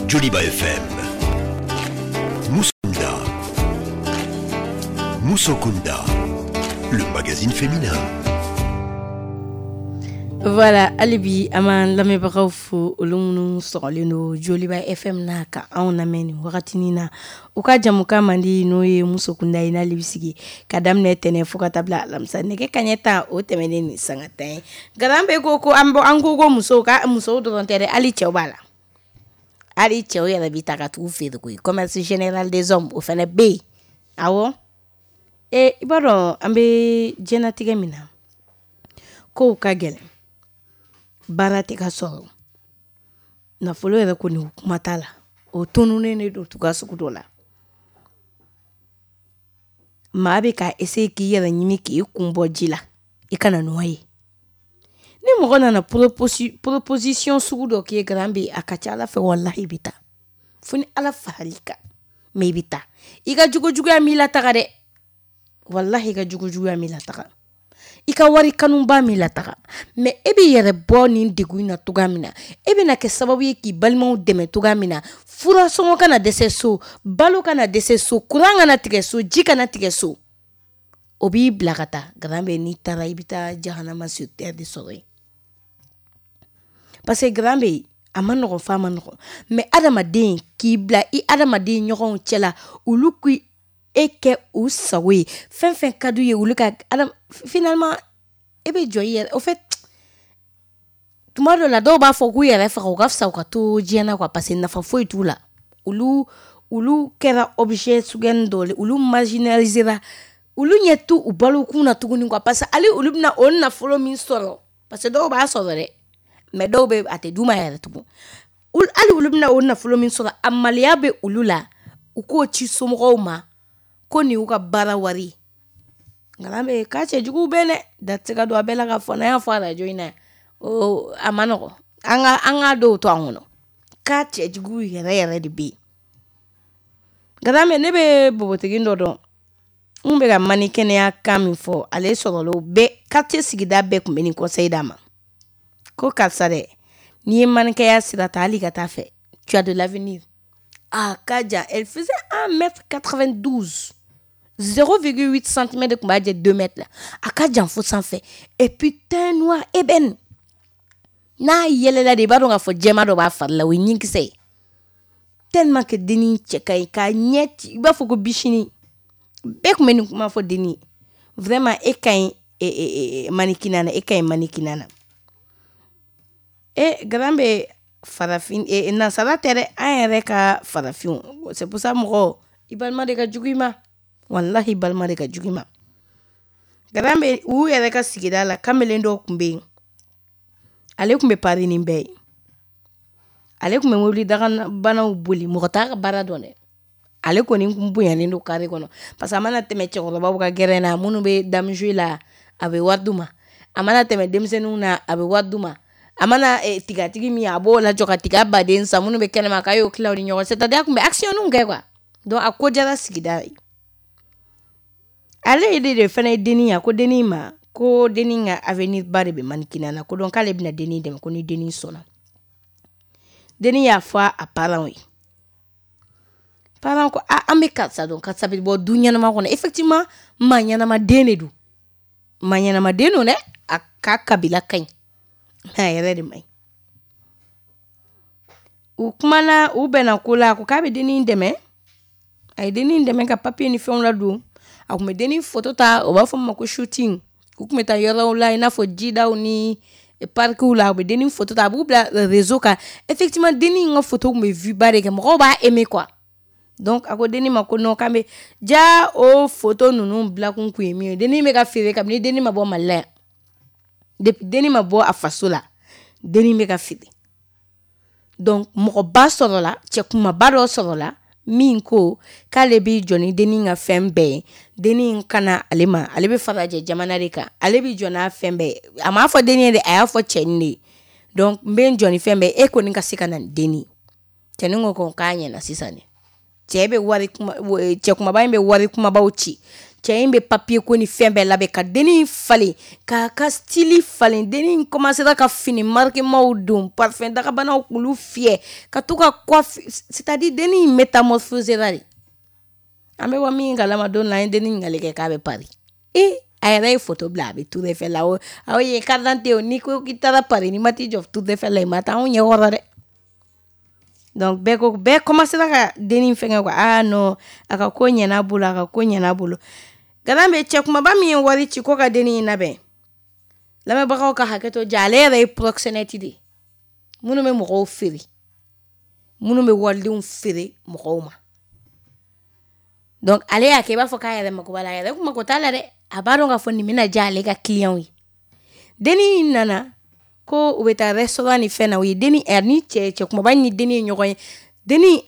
Joliba F M, Moussokunda, Moussokunda, le magazine féminin. Voilà, hali bi an b'an lamɛnbagaw fo olu minnu sɔgɔlen don Joliba F M na ka anw lamɛn nin wagatinin na u ka jamukan man di n'o ye Musokunda ye n'ale bɛ sigi ka daminɛ tɛnɛn fo ka taa bila alamisa nɛgɛ kanɲɛ tan o tɛmɛnen ni sanga tan ye garan bɛ ko ko an an ko ko musow ka musow dɔrɔn tɛ dɛ hali cɛw b'a la hali cɛw yɛrɛ bɛ ta ka t'u feere koyi commerce général des hommes o fana bɛ yen awɔ e i b'a dɔn an bɛ diɲɛlatigɛ min na kow ka gɛlɛn baara tɛ ka sɔrɔ nafolo yɛrɛ kɔni kuma t'a la o tununnen de don tuga sugu dɔ la maa bɛ ka essayer k'i yɛrɛ ɲini k'i kun bɔ ji la i kana nɔ ye ni mɔgɔ nana proposi proposition sugu dɔ k'i ye garan bɛ a ka ca Ala fɛ walahi i bɛ taa fo ni Ala faral'i kan mais i bɛ taa i ka jogojuguya m'i lataga dɛ walahi i ka jogojuguya m'i lataga i ka wari kanuba m'i lataga mais e b'i yɛrɛ bɔ nin degun in na cogoya min na e bɛna kɛ sababu ye k'i balimaw dɛmɛ cogoya min na furasɔngɔ kana dɛsɛ so balo kana dɛsɛ so kuran kana tigɛ so ji kana tigɛ so o b'i bila ka taa garan bɛ n'i taara i bɛ taa jahanama sur terre de sɔrɔ yen parce que garan bɛ a ma nɔgɔn f'a ma nɔgɔn mais adamaden k'i bila i adamaden ɲɔgɔnw cɛ la olu k'i e kɛ u sago ye fɛn fɛn ka d'u ye olu ka adam finalement e bɛ jɔ i yɛrɛ au fait tuma dɔ la dɔw b'a fɔ k'u yɛrɛ faga u ka fisa u ka to diɲɛ na quoi parce que nafa foyi t'u la olu olu kɛra objet suguya dɔ ye olu marginalisera olu ɲɛ t'u u balokun na tuguni quoi parce que hali olu bɛna o nafolo min sɔrɔ parce que dɔw b'a sɔrɔ dɛ mais dɔw bɛ a tɛ d'u ma yɛrɛ tugun hali olu bɛna o nafolo min sɔrɔ a maloya bɛ olu la u k'o ci somɔgɔw ma ko nin y'u ka baara wari nka bɛ k'a cɛjuguw bɛ dɛ da tɛ se ka don a bɛɛ la ka fɔ n'an y'a fɔ arajo in na o a ma nɔgɔn an ka an ka dɔw to an kɔnɔ k'a cɛjuguw yɛrɛ yɛrɛ de bɛ yen nka bɛ ne bɛ npogotigi dɔ dɔn n bɛ ka mani kɛnɛya kan min fɔ ale sɔrɔla o bɛɛ quartier sigida bɛɛ tun bɛ nin conseil d'a ma ko karisa dɛ n'i ye manikɛya sira ta hali ka taa fɛ tu as de l'avenir a ka jan elle faisait un mètre quatre-vingt-douze zéro virgule huit centimètres de tun b'a jɛ deux mètres la a ka jan fo sanfɛ et puis teint noir ébène n'a yɛlɛla de i b'a dɔn k'a fɔ jɛma dɔ b'a fari la o ye ɲinkisɛ ye tellement que dennin cɛ ka ɲi k'a ɲɛ ci i b'a fɔ ko bisini bɛɛ tun bɛ nin kuma fɔ dennin ye vraiment e ka ɲi e mannequinat na e ka ɲi mannequinat na e garan bɛ farafin e nansara tɛ dɛ an yɛrɛ ka farafinw c'est pour ça mɔgɔ i balima de ka jugu i ma walahi balima de ka jugu i ma garan bɛ u yɛrɛ ka sigida la kamalen dɔw tun bɛ yen ale tun bɛ pari nin bɛɛ ye ale tun bɛ mobili dagabanaw boli mɔgɔ t'a ka baara dɔn dɛ ale kɔni kun bonyanen don carré kɔnɔ parce que a mana tɛmɛ cɛkɔrɔbaw ka gɛrɛn na minnu bɛ dame jouer la a bɛ wari d'u ma. A mana tɛmɛ denmisɛnninw na, a bɛ wari d'u ma. A mana eh, tigatigi min a b'o lajɔ ka tiga baden san minnu bɛ kɛnɛma k'a y'o tila u ni ɲɔgɔn cɛ. C'est-à-dire a tun bɛ action kɛ quoi. Donc a ko diyara sigida ye. Ale de de fana ye dennin ye, a ko dennin ma ko dennin ka avenir ba de bɛ mannequinat na, ko donc k'ale bɛna dennin dɛmɛ ko ni dennin sɔnna. Dennin y'a fɔ a parents ye. Parents ko a an bɛ karisa dɔn, karisa bɛ bɔ du ɲɛnama kɔnɔ. Effectivement, maa ɲɛnama den de don. Maa ɲɛnama den don dɛ, a ka kabila ka ɲi. Mais a yɛrɛ de man ɲi. U kumana, u bɛnna ko la, a ko k'a bɛ dennin dɛmɛ. A ye dennin dɛmɛ ka papier ni fɛnw ladon. A tun bɛ dennin photo ta, o b'a fɔ min ma ko shooting. U tun bɛ taa yɔrɔw la i n'a fɔ jidaw ni parkiw la, u bɛ dennin photo ta, a b'u bila réseau kan. Effectivement, dennin ka photo tun bɛ vue ba de kɛ, mɔgɔw b'a aimer quoi. Donc a ko dennin ma ko non, k'an bɛ ja o photo ninnu bilakun kun ye min ye, dennin bɛ ka feere kabini dennin ma bɔ Mali la yan. Depuis dennin ma bɔ a faso la, dennin bɛ ka feere. Donc mɔgɔba sɔrɔla, cɛ kumaba dɔ sɔrɔla min ko k'ale b'i jɔ ni dennin ka fɛn bɛɛ ye, dennin kana ale ma, ale bɛ farajɛ jamana de kan, ale b'i jɔ n'a fɛn bɛɛ ye. A m'a fɔ dennin ye dɛ, a y'a fɔ cɛnin de ye. Donc n bɛ n jɔ ni fɛn bɛɛ ye, e kɔni ka se ka na ni dennin ye. Cɛnin ko ko k'a ɲɛna sisan de. Cɛ bɛ wari kuma, cɛ kumaba in bɛ wari kumabaw ci. Cɛ in bɛ papier ko ni fɛn bɛɛ labɛn ka dennin falen, k'a ka style falen. Dennin commencera ka fini marquemaw don, parfum dagabanaw k'olu fiyɛ, ka to ka coiffe, c'est-à-dire dennin métamorphosera de. An bɛ bɔ min kalama don la, an ye dennin ɲininkali kɛ k'a bɛ Paris. E a yɛrɛ ye photo bila a bɛ Tour Eiffel la. O aw ye carte d'identité o, n'i ko k'i taara Paris n'i ma t'i jɔ Tour Eiffel la, i ma taa anw ɲɛ kɔrɔ dɛ. Donc bɛɛ ko, bɛɛ commencera ka dennin fɛngɛ quoi. Ah non, a ka ko ɲɛna bolo, a ka ko ɲɛna bolo. Garan bɛ cɛ kumaba min ye wari ci ko ka dennin in labɛn. Lamɛnbagaw ka hakɛ to ja, ale yɛrɛ ye proxénète de ye. Minnu bɛ mɔgɔw feere, minnu bɛ walidenw feere mɔgɔw ma. Donc ale y'a kɛ i b'a fɔ k'a yɛrɛ mako b'a la, a yɛrɛ kun mako t'a la dɛ. A b'a dɔn k'a fɔ nin bɛna diya ale ka client ye. Dennin in nana ko u bɛ taa restaurant ni fɛn na, u ye dennin ni cɛ cɛ kumaba ni dennin ye ɲɔgɔn ye. Dennin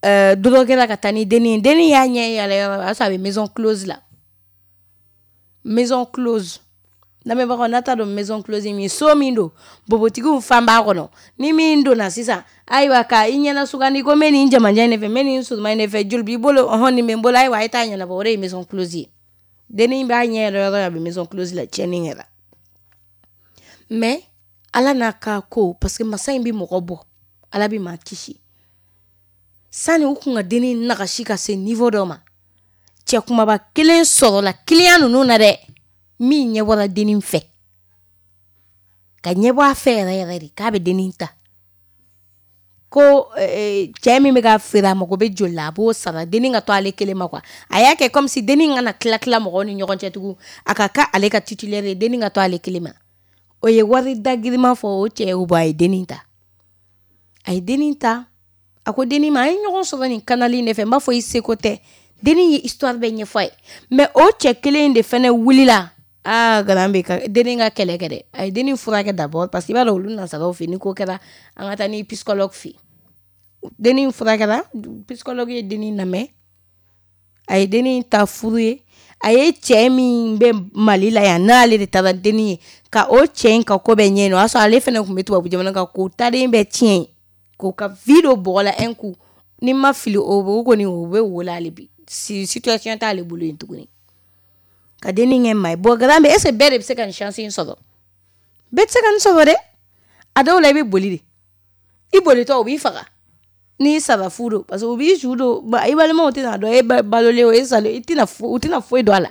euh, droguera ka taa ni dennin ye. Dennin y'a ɲɛ yɛlɛ yɔrɔ, o y'a sɔrɔ a bɛ maison close la. Maison close. Lamɛnbagaw n'a t'a dɔn maison close min ye, so min don npogotigiw fan b'a kɔnɔ, ni min donna sisan, ayiwa ka i ɲɛna sugandi ko n bɛ nin jamanjan in de fɛ, n bɛ nin surunman in de fɛ, joli b'i bolo, ɔhɔn nin bɛ n bolo, ayiwa a ye taa ɲɛnabɔ, o de ye maison close ye. Dennin b'a ɲɛ yɛlɛ yɔrɔ a bɛ maison close la, tiɲɛni kɛra. Mais Ala n'a ka ko, parce que masa in bɛ mɔgɔ bɔ, Ala bɛ maa kisi. Sani u kun ka dennin nagasi ka se niveau dɔ ma, cɛ kumaba kelen sɔrɔla client ninnu na dɛ, min ɲɛ bɔra dennin fɛ, ka ɲɛbɔ a fɛ yɛrɛ yɛrɛ de k'a bɛ dennin ta. Ko cɛ min bɛ ka feere a mago bɛ joli la, a b'o sara, dennin ka to ale kelen ma quoi. A y'a kɛ comme si dennin kana tila tila mɔgɔw ni ɲɔgɔn cɛ tugun, a ka kɛ ale ka titulaire ye, dennin ka to ale kelen ma. O ye wari da girinman fɔ o cɛ y'o bɔ, a ye dennin ta. A ye dennin ta, a ko dennin ma, an ye ɲɔgɔn sɔrɔ nin canal in de fɛ, n b'a fɔ i seko tɛ. Dennin ye histoire bɛɛ ɲɛfɔ a ye. Mais o cɛ kelen in de fɛnɛ wulila. Ah, garan bɛ ka dennin ka kɛlɛ kɛ dɛ. A ye dennin furakɛ d'abord parce que i b'a dɔn olu nansaraw fɛ, ni ko kɛra an ka taa ni psychologue fɛ. Dennin furakɛra, psychologue ye dennin lamɛn. A ye dennin ta furu ye. A ye cɛ min bɛ Mali la yan, n'ale de taara dennin ye, ka o cɛ in ka ko bɛɛ ɲɛɲini. O y'a sɔrɔ ale fɛnɛ tun bɛ tubabu jamana kan, k'o taden bɛɛ tiɲɛ, k'o ka vie don bɔgɔ la un coup. Ni ma fili o kɔni o bɛ wo la hali bi. Situation t'ale bolo yen tuguni. Ka dennin kɛ maa ye. Bon, garan bɛ, est ce que bɛɛ de bɛ se ka nin chance in sɔrɔ? Bɛɛ tɛ se ka nin sɔrɔ dɛ. A dɔw la i bɛ boli de. I bolitɔ u b'i faga. N'i sara fu don, parce que u b'i su don, i balimaw tɛna dɔn e balolen o e salen, i tɛna u tɛna foyi dɔn a la.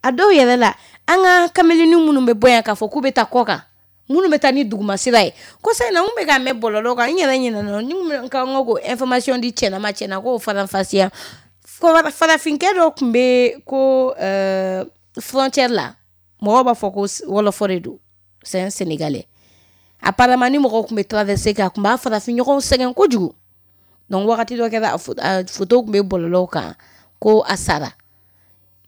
A dɔw yɛrɛ la, an ka kameleni minnu bɛ bɔ yan k'a fɔ k'u bɛ taa kɔ kan, minnu bɛ taa ni dugumasira ye, kɔsa in na n kun bɛ k'a mɛn bɔlɔlɔ kan, n yɛrɛ ɲinɛna, ni n ka n ko information di cɛna ma, cɛna k'o faranfasiya. Farafinkɛ dɔ tun bɛ ko euh, frontière la, mɔgɔw b'a fɔ ko wɔlɔfɔ de don, c'est un Sénégalais. Apparemment ni mɔgɔw tun bɛ traverser kɛ, a tun b'a farafin ɲɔgɔnw sɛgɛn kojugu. Donc wagati dɔ kɛra, a photo tun bɛ bɔlɔlɔw kan ko a sara.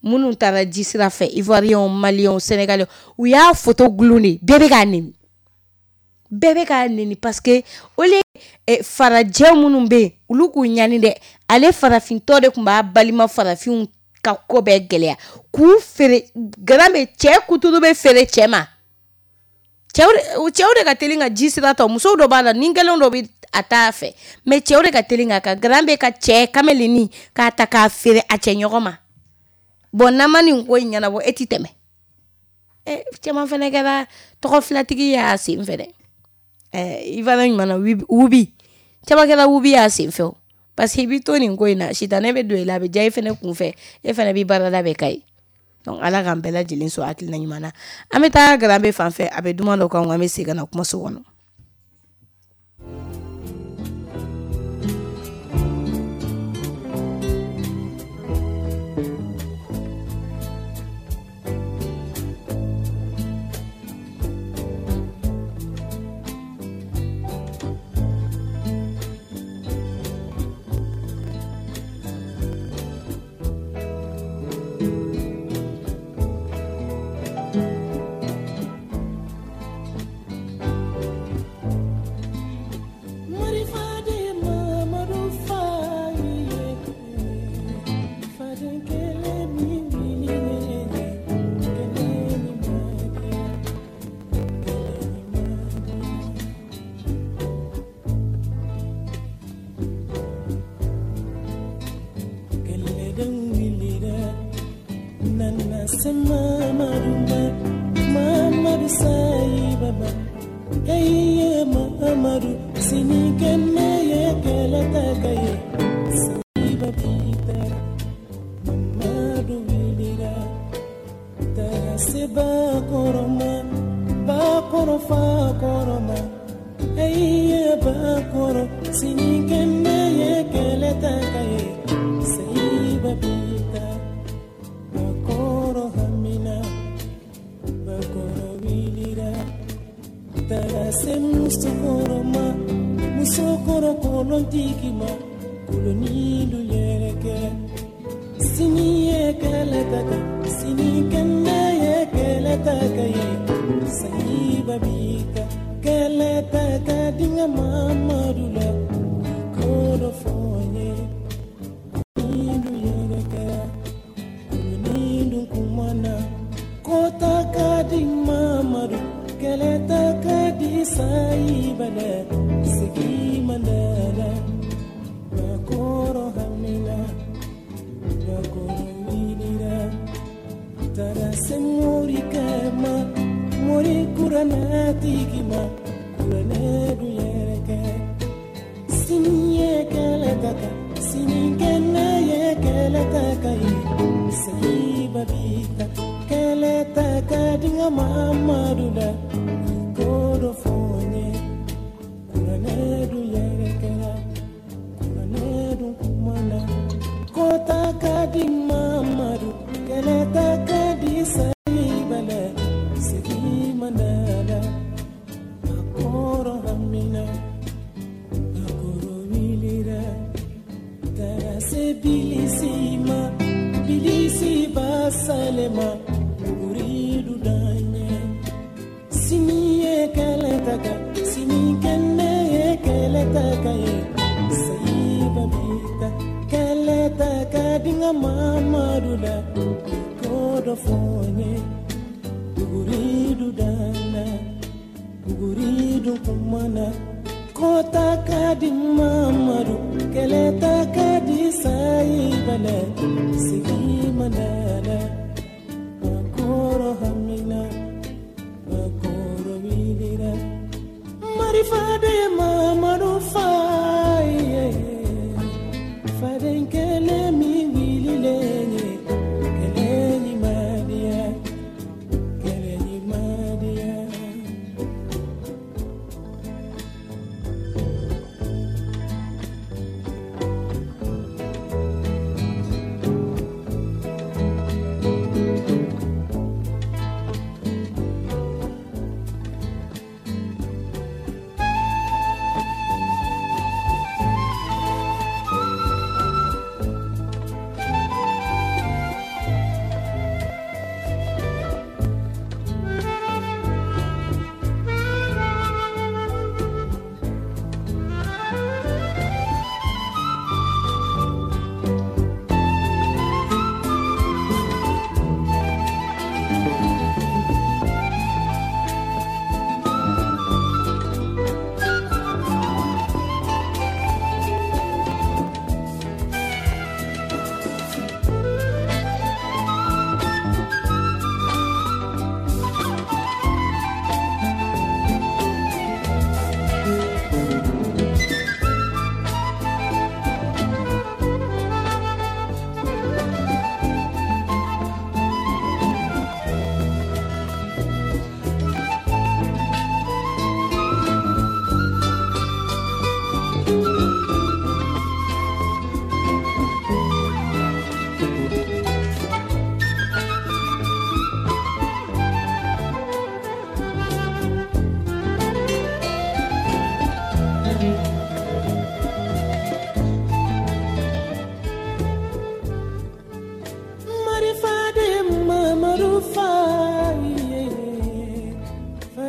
Minnu taara ji sira fɛ, Ivoiriens, Maliens, Sénégalais, u y'a photo gulon de, bɛɛ bɛ k'a neni. Bɛɛ bɛ k'a neni parce que au lieu farajɛ minnu bɛ yen, olu k'u ɲani dɛ, ale farafintɔ de tun b'a balima farafinw ka ko bɛɛ gɛlɛya k'u feere Garambe cɛ kuturu bɛ feere cɛ ma cɛw cɛw de ka teli ka ji sira ta musow dɔ b'a la ni kelen dɔ bɛ a t'a fɛ mais cɛw de ka teli ka ka Garambe ka cɛ kameleni k'a ta k'a feere a cɛ ɲɔgɔn ma bon n'an ma nin ko in ɲɛnabɔ e ti tɛmɛ ɛ caman fana kɛra tɔgɔ filatigi y'a sen fɛ dɛ ɛ i fana ɲuman na wubi caman kɛra wubi y'a sen fɛ o parce que i b'i to nin ko in na sitanɛ bɛ don i la a bɛ diya i fana kun fɛ e fana b'i baarada bɛ ka ye donc ala k'an bɛɛ lajɛlen sɔn hakilina ɲuman na an bɛ taa Garambe fan fɛ a bɛ duman dɔ kan an bɛ segin ka na kumaso kɔnɔ.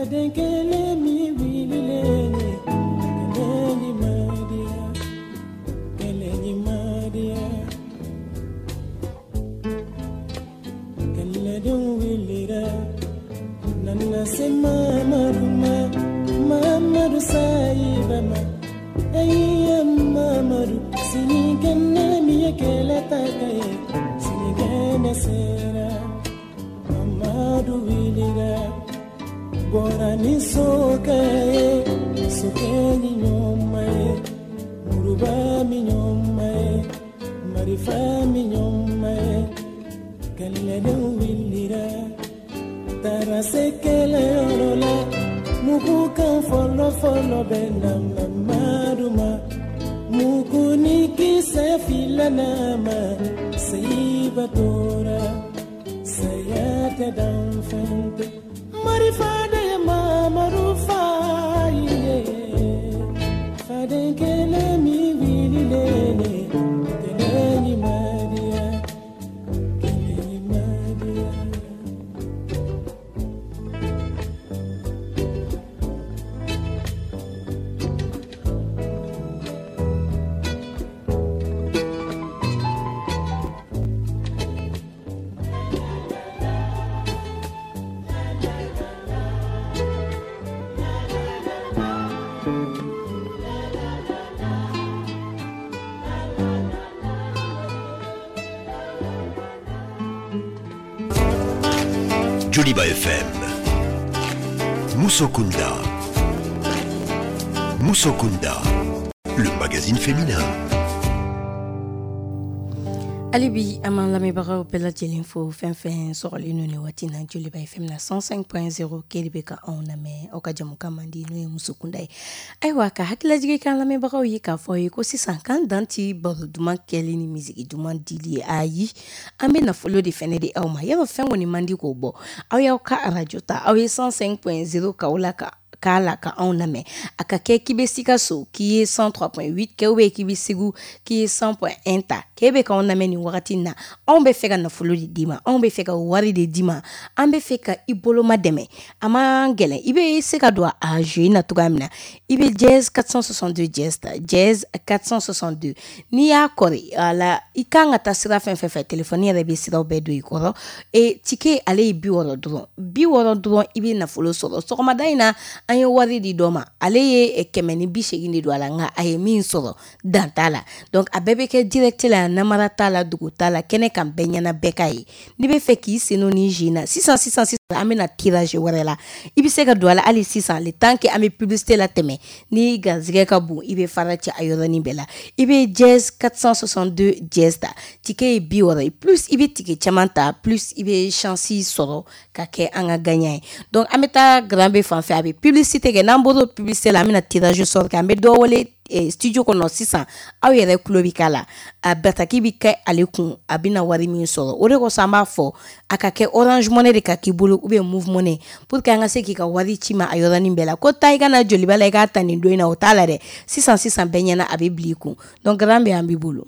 Faden kelen min wililen kɛlɛ ɲuman diya, kɛlɛ ɲuman diya. Kɛlɛdenw wulila, nana se Mamadu ma, Mamadu sayiba ma. Ayiya Mamadu, sinikɛnɛ min ye kɛlɛ ta ka ye, sinikɛnɛ sera. Mamadu wulila, bɔra ni sokɛ ye, sokɛ ni ɲɔma ye, muruba mi ɲɔma ye, marifa mi ɲɔma ye. Kɛlɛdenw wulila, taara se kɛlɛyɔrɔ la, mugu kan fɔlɔ fɔlɔ bɛ na Mamadu ma, mugu ni kisɛ fila na ma, seyiba tora, saya tɛ danfɛn tɛ. Marifa de ye Mamadu fa ye, faden kelen min wililen kɛlɛ ɲuman diya, kɛlɛ ɲuman diya. Joliba F M, Musokunda, Musokunda, le magazine féminin. Hali bi an b'an lamɛnbagaw bɛɛ lajɛlen fo fɛn fɛn sɔgɔlen don nin waati in na Joliba F M na cent cinq point zéro k'e de bɛ ka anw lamɛn aw ka jamukan man di n'o ye Musokunda ye. Ayiwa ka hakililajigin k'an lamɛnbagaw ye k'a fɔ ye ko sisan k'an dan ti baro duman kɛli ni misigi duman dili ye, ayi an bɛ nafolo de fɛnɛ di aw ma. Yɔrɔ fɛn kɔni man di k'o bɔ, aw y'aw ka arajo ta, aw ye cent cinq point zéro k'aw la ka k'a la ka anw lamɛn. A ka kɛ k'i bɛ Sikaso k'i ye cent trois point huit kɛ, ou bien k'i bɛ Segu k'i ye cent point un ta, k'e bɛ k'anw lamɛn nin wagati in na. Anw bɛ fɛ ka nafolo de d'i ma, anw bɛ fɛ ka wari de d'i ma, an bɛ fɛ ka i boloma dɛmɛ. A man gɛlɛn, i bɛ se ka don a jeu na cogoya min na, i bɛ dièse quatre cent soixante-deux dièse ta, dièse quatre cent soixante-deux. N'i y'a kɔri a la, i kan ka taa sira fɛn fɛn fɛ, telefɔni yɛrɛ bɛ siraw bɛɛ don i kɔrɔ. E ticket ale ye bi wɔɔrɔ dɔrɔn, bi wɔɔrɔ dɔrɔn i bɛ nafolo sɔrɔ. Sɔgɔmada in na an ye wari di dɔ ma, ale ye kɛmɛ ni bi seegin de don a la, nka a ye min sɔrɔ dan t'a la. Donc a bɛɛ bɛ kɛ direct la, namara t'a la, dugu t'a la, kɛnɛ kan bɛɛ ɲɛna bɛɛ ka ye. N'i bɛ fɛ k'i sen don nin jeu in na sisan sisan sisan, an bɛna tirage wɛrɛ la, i bɛ se ka don a la hali sisan le temps que an bɛ publicité la tɛmɛ. Ni garizigɛ ka bon, i bɛ fara cɛ a yɔrɔnin bɛɛ la. I bɛ dièse quatre cent soixante-deux dièse ta, ticket ye bi wɔɔrɔ ye, plus i bɛ ticket caman ta, plus i bɛ chance sɔrɔ ka kɛ an ka gagnant ye. Donc an bɛ taa Grand B fan fɛ, a bɛ publicité kɛ. N'an bɔra publicité la, an bɛna tirage sort kɛ, an bɛ dɔ wele studio kɔnɔ sisan, aw yɛrɛ tulo bɛ k'a la, a bataki bɛ kɛ ale kun, a bɛna wari min sɔrɔ. O de kosɔn an b'a fɔ a ka kɛ Orange Money de ka k'i bolo ou bien Moov Money, pour que an ka se k'i ka wari ci ma a yɔrɔnin bɛɛ la. Ko taa i ka na Joliba la i k'a ta nin don in na, o t'a la dɛ. Sisan sisan bɛɛ ɲɛna, a bɛ bila i kun. Donc Grand B an b'i bolo.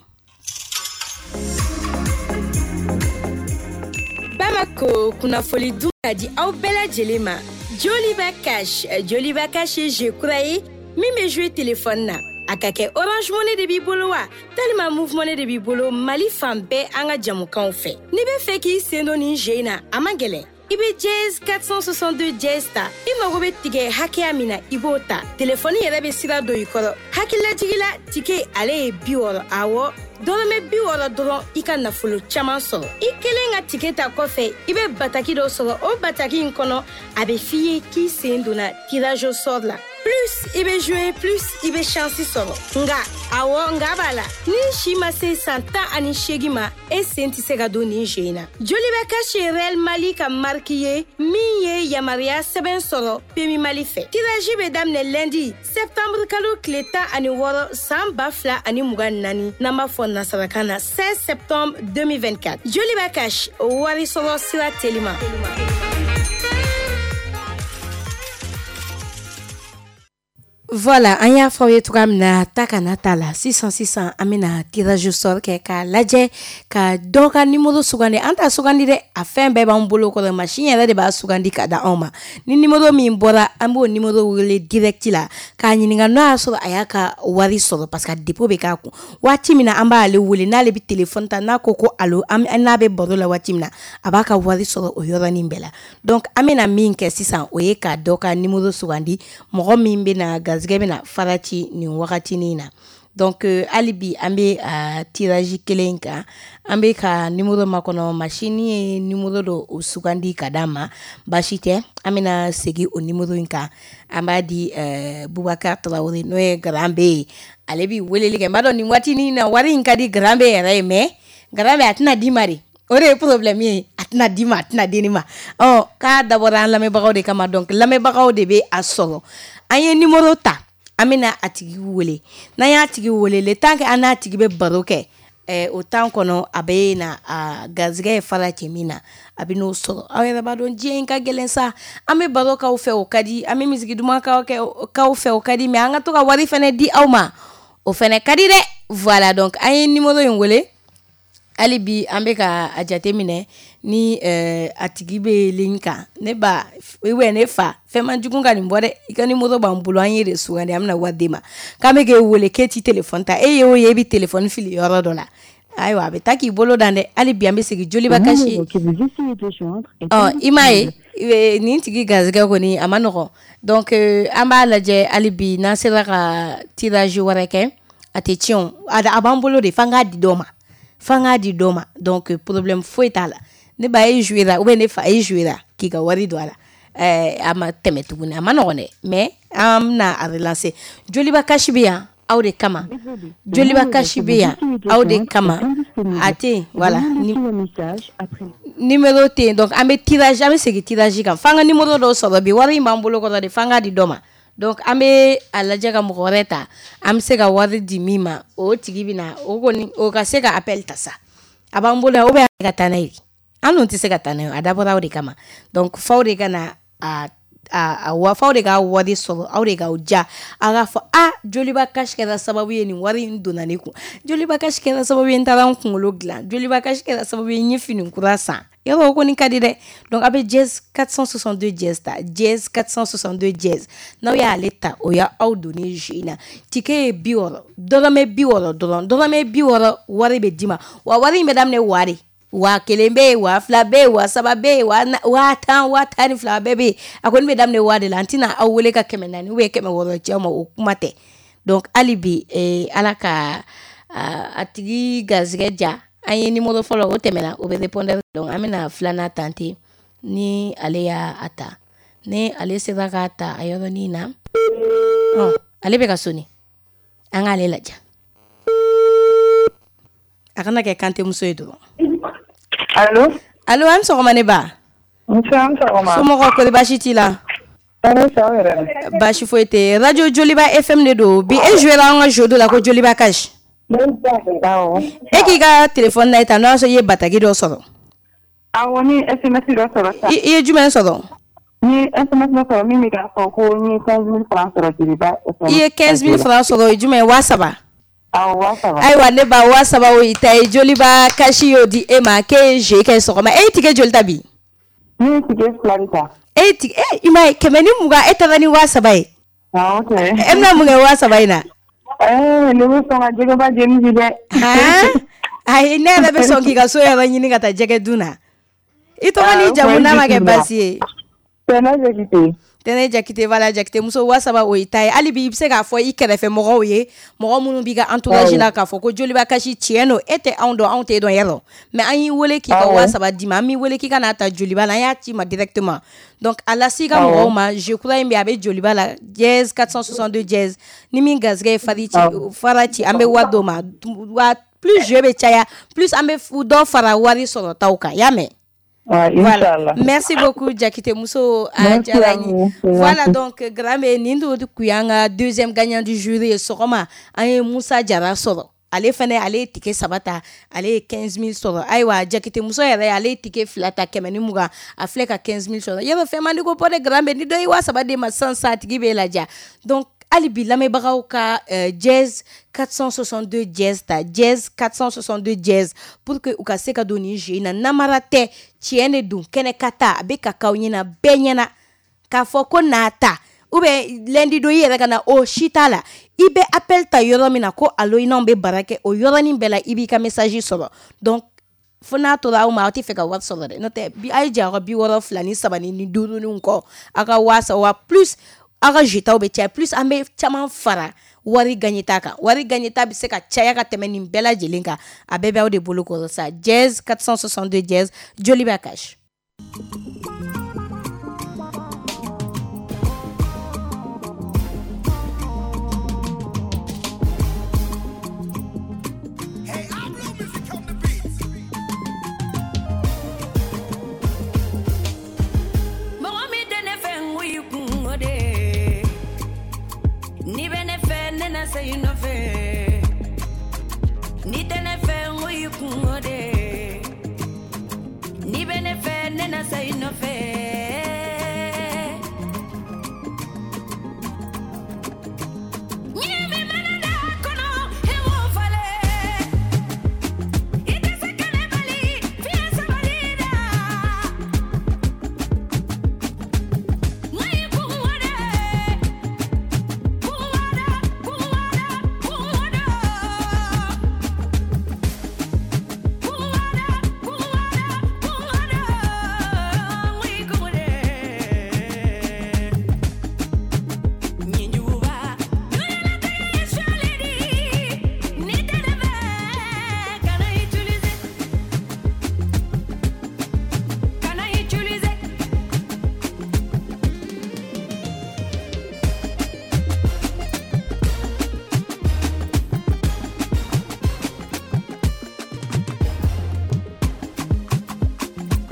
Bamako kunnafoli dun ka di aw bɛɛ lajɛlen ma. Joliba Cash, Joliba Cash ye jeu kura ye min bɛ jouer téléphone na. A ka kɛ Orange Money de b'i bolo wa, talima Moov Money de b'i bolo, Mali fan bɛɛ an ka jamukanw fɛ. N'i bɛ fɛ k'i sen don nin jeu in na, a man gɛlɛn. I bɛ dièse quatre cent soixante-deux dièse ta, i mago bɛ tigɛ hakɛya min na, i b'o ta. Telefɔni yɛrɛ bɛ sira don i kɔrɔ. Hakililajigin la, ticket ale ye bi wɔɔrɔ, awɔ dɔrɔmɛ bi wɔɔrɔ dɔrɔn i ka nafolo caman sɔrɔ. I kelen ka ticket ta kɔfɛ, i bɛ bataki dɔ sɔrɔ. O bataki in kɔnɔ, a bɛ f'i ye k'i sen donna tirage au sort la. Plus i bɛ jouer, plus i bɛ chance sɔrɔ. Nka awɔ, nka b'a la, ni si ma se san tan ani seegin ma, e sen tɛ se ka don nin jeu in na. Joliba Cash ye Real Mali ka marque ye min ye yamaruya sɛbɛn sɔrɔ P M I Mali fɛ. Tirage bɛ daminɛ lundi septembre kalo tile tan ani wɔɔrɔ san ba fila ani mugan ni naani, n'an b'a fɔ nasarakan na seize septembre deux mille vingt-quatre. Joliba Cash, wari sɔrɔ sira telima. Voilà, an y'a fɔ aw ye cogoya min na ta kana t'a la. Sisan sisan an bɛna tirage au sort kɛ k'a lajɛ ka dɔ ka numéro sugandi. An t'a sugandi dɛ, a fɛn bɛɛ b'an bolo kɔrɔ, machine yɛrɛ de b'a sugandi ka da anw ma. Ni numéro min bɔra, an b'o numéro wele direct la k'a ɲininka n'o y'a sɔrɔ a y'a ka wari sɔrɔ, parce que a dépôt bɛ k'a kun. Waati min na an b'ale wele, n'ale bɛ téléphone ta, n'a ko ko allo, an n'a bɛ baro la waati min na, a b'a ka wari sɔrɔ o yɔrɔnin bɛɛ la. Donc an bɛna min kɛ sisan, o ye ka dɔ ka numéro sugandi, mɔgɔ min bɛna garizigɛ bɛna fara ci nin wagatinin na. Donc hali bi an bɛ a tirage kelen kan, an bɛ ka numéro makɔnɔ, machine ye numéro dɔ o sugandi ka d'an ma. Baasi tɛ, an bɛna segin o numéro in kan. An b'a di Bubakar Tarawele, n'o ye Grand B ye, ale bi weleli kɛ. N b'a dɔn nin waatinin na wari in ka di Grand B yɛrɛ ye, mais Grand B a tɛna d'i ma de, o de ye problème ye, a tɛna d'i ma, a tɛna di ne ma. Ɔ k'a dabɔra an lamɛnbagaw de kama, donc lamɛnbagaw de bɛ a sɔrɔ. An ye numéro ta, an bɛna a tigi wele. N'an y'a tigi wele, le temps que an n'a tigi bɛ baro kɛ, eh, o temps kɔnɔ a bɛ na a garizigɛ ye fara cɛ min na, a bɛ n'o sɔrɔ. Aw yɛrɛ b'a dɔn diɲɛ in ka gɛlɛn sa. An bɛ baro k'aw fɛ, o ka di, an bɛ misigi duman k'aw k'aw fɛ, o ka di, mais an ka to ka wari fɛnɛ di aw ma, o fɛnɛ ka di dɛ. Voilà, donc an ye numéro in wele. Hali bi an bɛ ka a jate minɛ ni eh, a tigi bɛ ligne kan. Ne ba ou ne fa, fɛn man jugu ka nin bɔ dɛ, i ka numéro b'an bolo, an ye de sugandi, an bɛna wari d'e ma. K'an bɛ k'e wele k'e t'i téléphone ta, e ye o ye e bɛ téléphone fili yɔrɔ dɔ la, ayiwa a bɛ taa k'i bolo dan dɛ. Hali bi an bɛ segin Joliba Cash. Ɔ i m'a ye nin tigi garizigɛ kɔni a ma nɔgɔn. Donc an b'a lajɛ hali bi n'an sera ka tirage wɛrɛ kɛ, a tɛ tiɲɛ o, a b'an bolo de, f'an k'a di dɔ ma, f'an k'a di dɔ ma. Donc problème foyi t'a la. Ne ba e joué la ou bien ne fa e joué la k'i ka wari don a la, ɛɛ a ma tɛmɛ tuguni, a ma nɔgɔn dɛ, mais an bɛna a relancer. Joliba Cash bɛ yan aw de kama, Joliba Cash bɛ yan aw de kama, a tɛ yen. Voilà, numéro tɛ yen, donc an bɛ tirage, an bɛ segin tirage kan, f'an ka numéro dɔw sɔrɔ bi, wari in b'an bolo kɔrɔ de, f'an k'a di dɔ ma. Donc an bɛ a lajɛ ka mɔgɔ wɛrɛ ta, an bɛ se ka wari di min ma, o tigi bɛ na, o kɔni o ka se ka appel ta sa, a b'an bolo yan, ou bien ka taa n'a ye, an dun tɛ se ka taa n'a ye, a dabɔra aw de kama. Donc f'aw de ka na a a a f'aw de ka wari sɔrɔ, aw de k'aw ja, a k'a fɔ a Joliba Cash kɛra sababu ye nin wari in donna ne kun, Joliba Cash kɛra sababu ye n taara n kunkolo dilan, Joliba Cash kɛra sababu ye n ye fini kura san. Yɔrɔ o kɔni ka di dɛ. Donc a bɛ dièse quatre cent soixante-deux dièse ta, dièse quatre cent soixante-deux dièse, n'aw y'ale ta, o y'aw donnen jeu in na. Ticket ye bi wɔɔrɔ, dɔrɔmɛ bi wɔɔrɔ dɔrɔn, dɔrɔmɛ bi wɔɔrɔ wari bɛ d'i ma, wa wari in bɛ daminɛ waa de, waa kelen bɛ yen, waa fila bɛ yen, waa saba bɛ yen, waa tan, waa tan ni fila bɛɛ bɛ yen. A kɔni bɛ daminɛ waa de la, an tɛna aw wele ka kɛmɛ naani ou bien kɛmɛ wɔɔrɔ ci aw ma, o kuma tɛ. Donc hali bi eh, ala ka a tigi garizigɛ ja. An ye numéro fɔlɔ o tɛmɛna, o bɛ répondeur. Donc an bɛna filanan tenter ni ale y'a ta, ni ale sera k'a ta a yɔrɔnin na. Ɔ ale bɛ ka sonner, an k'ale lajɛ, a kana kɛ kantemuso ye dɔrɔn. Allo? Allo, an sɔgɔma ne ba. Nse, an sɔgɔma. Somɔgɔw kɔri baasi t'i la? Tɔɔrɔ tɛ aw yɛrɛ. Baasi foyi tɛ. Radio Joliba F M de don. Bi e joué la an ka jeu dɔ la ko Joliba Cash. Awɔ. E k'i ka téléphone na ta, n'o y'a sɔrɔ i ye bataki dɔ sɔrɔ. Awɔ, ne ye S M S dɔ sɔrɔ sisan. I ye jumɛn sɔrɔ? N ye S M S dɔ sɔrɔ min bɛ k'a fɔ ko n ye quinze mille francs sɔrɔ Joliba F M. I ye quinze mille francs sɔrɔ, o ye jumɛn ye? Waa saba. Awɔ, waa saba. Ayiwa ne ba, waa saba o y'i ta ye. Joliba Cash y'o di e ma k'e ye jeu kɛ sɔgɔma. E ye ticket joli ta bi? Ne ye ticket fila de ta. E ye ticket, e i m'a ye kɛmɛ ni mugan, e taara ni waa saba ye. Awɔ kɛ. E bɛna mun kɛ waa saba in na? Ɛɛ ne bɛ sɔn ka jɛgɛba jeni bi dɛ. Ayi, ne yɛrɛ bɛ sɔn k'i ka so yɛrɛ ɲini ka taa jɛgɛ dun na. I tɔgɔ n'i jamu n'a ma kɛ baasi ye. Tɛnɛ Jakite. Tɛnɛ Jakite, voilà Jakite muso, waa saba o y'i ta ye. Hali bi i bɛ se k'a fɔ i kɛrɛfɛ mɔgɔw ye, mɔgɔ minnu b'i ka entourage la, k'a fɔ ko Joliba Cash tiɲɛ don, e tɛ anw dɔn, anw t'e dɔn yɛrɛ, mais an y'i wele k'i ka waa saba d'i ma, an m'i wele k'i ka n'a ta Joliba la, an y'a ci ma directement. Donc a lase i ka mɔgɔw ma, jeu kura in bɛ yen, a bɛ Joliba la, dièse quatre cent soixante-deux dièse, ni min garizigɛ ye fari ci, fara ci, an bɛ wari d'o ma. Wa plus jeu bɛ caya, plus an bɛ dɔ fara wari sɔrɔtaw kan, y'a mɛn? Ouais, voilà. Merci beaucoup Jakite muso, a diyara n ye. Voilà, donc Grand B, nin de kun y'an ka deuxième gagnant du jour ye sɔgɔma. An ye Musa Jara sɔrɔ, ale fɛnɛ ale ye ticket saba ta, ale ye quinze mille sɔrɔ. Ayiwa Jakite muso yɛrɛ ale ye ticket fila ta kɛmɛ ni mugan, a filɛ ka quinze mille sɔrɔ. Yɔrɔ fɛn man di ko bɔ dɛ Grand B, ni dɔ ye waa saba d'e ma sisan sisan, a tigi b'e laja. Donc Hali bi lamɛnbagaw ka euh, dièse quatre cent soixante-deux dièse ta, dièse quatre cent soixante-deux dièse, pour que u ka se ka don nin jeu in na. Namara tɛ, tiɲɛ de don. Kɛnɛ ka taa, a bɛ ka k'aw ɲɛna, bɛɛ ɲɛna k'a fɔ ko n'a ta ou bien lundi don, i yɛrɛ ka na, o si t'a la. I bɛ appel ta yɔrɔ min na ko allo, i n'anw bɛ bara kɛ, o yɔrɔnin bɛɛ la i b'i ka message sɔrɔ. Donc fo n'a tora aw ma, aw tɛ fɛ ka wari sɔrɔ dɛ. N'o tɛ bi, a ye jɛ aw ka bi wɔɔrɔ fila ni saba ni duuru ni kɔ, aw ka waa saba wa plus, aw ka jetaw bɛ caya, plus an bɛ caman fara wari gagneta kan. Wari gagneta bɛ se ka caya ka tɛmɛ nin bɛɛ lajɛlen kan. A bɛɛ bɛ aw de bolo kɔrɔ sa. Dièse quatre cent soixante-deux dièse, Joliba Cash. Mɔgɔ min tɛ ne fɛ, n ko i kungo de. N'i bɛ ne fɛ, ne na se i nɔfɛ. N'i tɛ ne fɛ, n ko i kungo de. N'i bɛ ne fɛ, ne na se i nɔfɛ. Ɲɛ min mana da kɔnɔ, i b'o falen. I tɛ se ka ne bali fiɲɛ sabali la. N ko i kungo de. Kungo kungo kungo kungo kungo kungo n ko i kungo de. Ɲinjuguba dunalatigɛ ye sɔli di. N'i tɛ ne fɛ, kana utiliser, kana utiliser.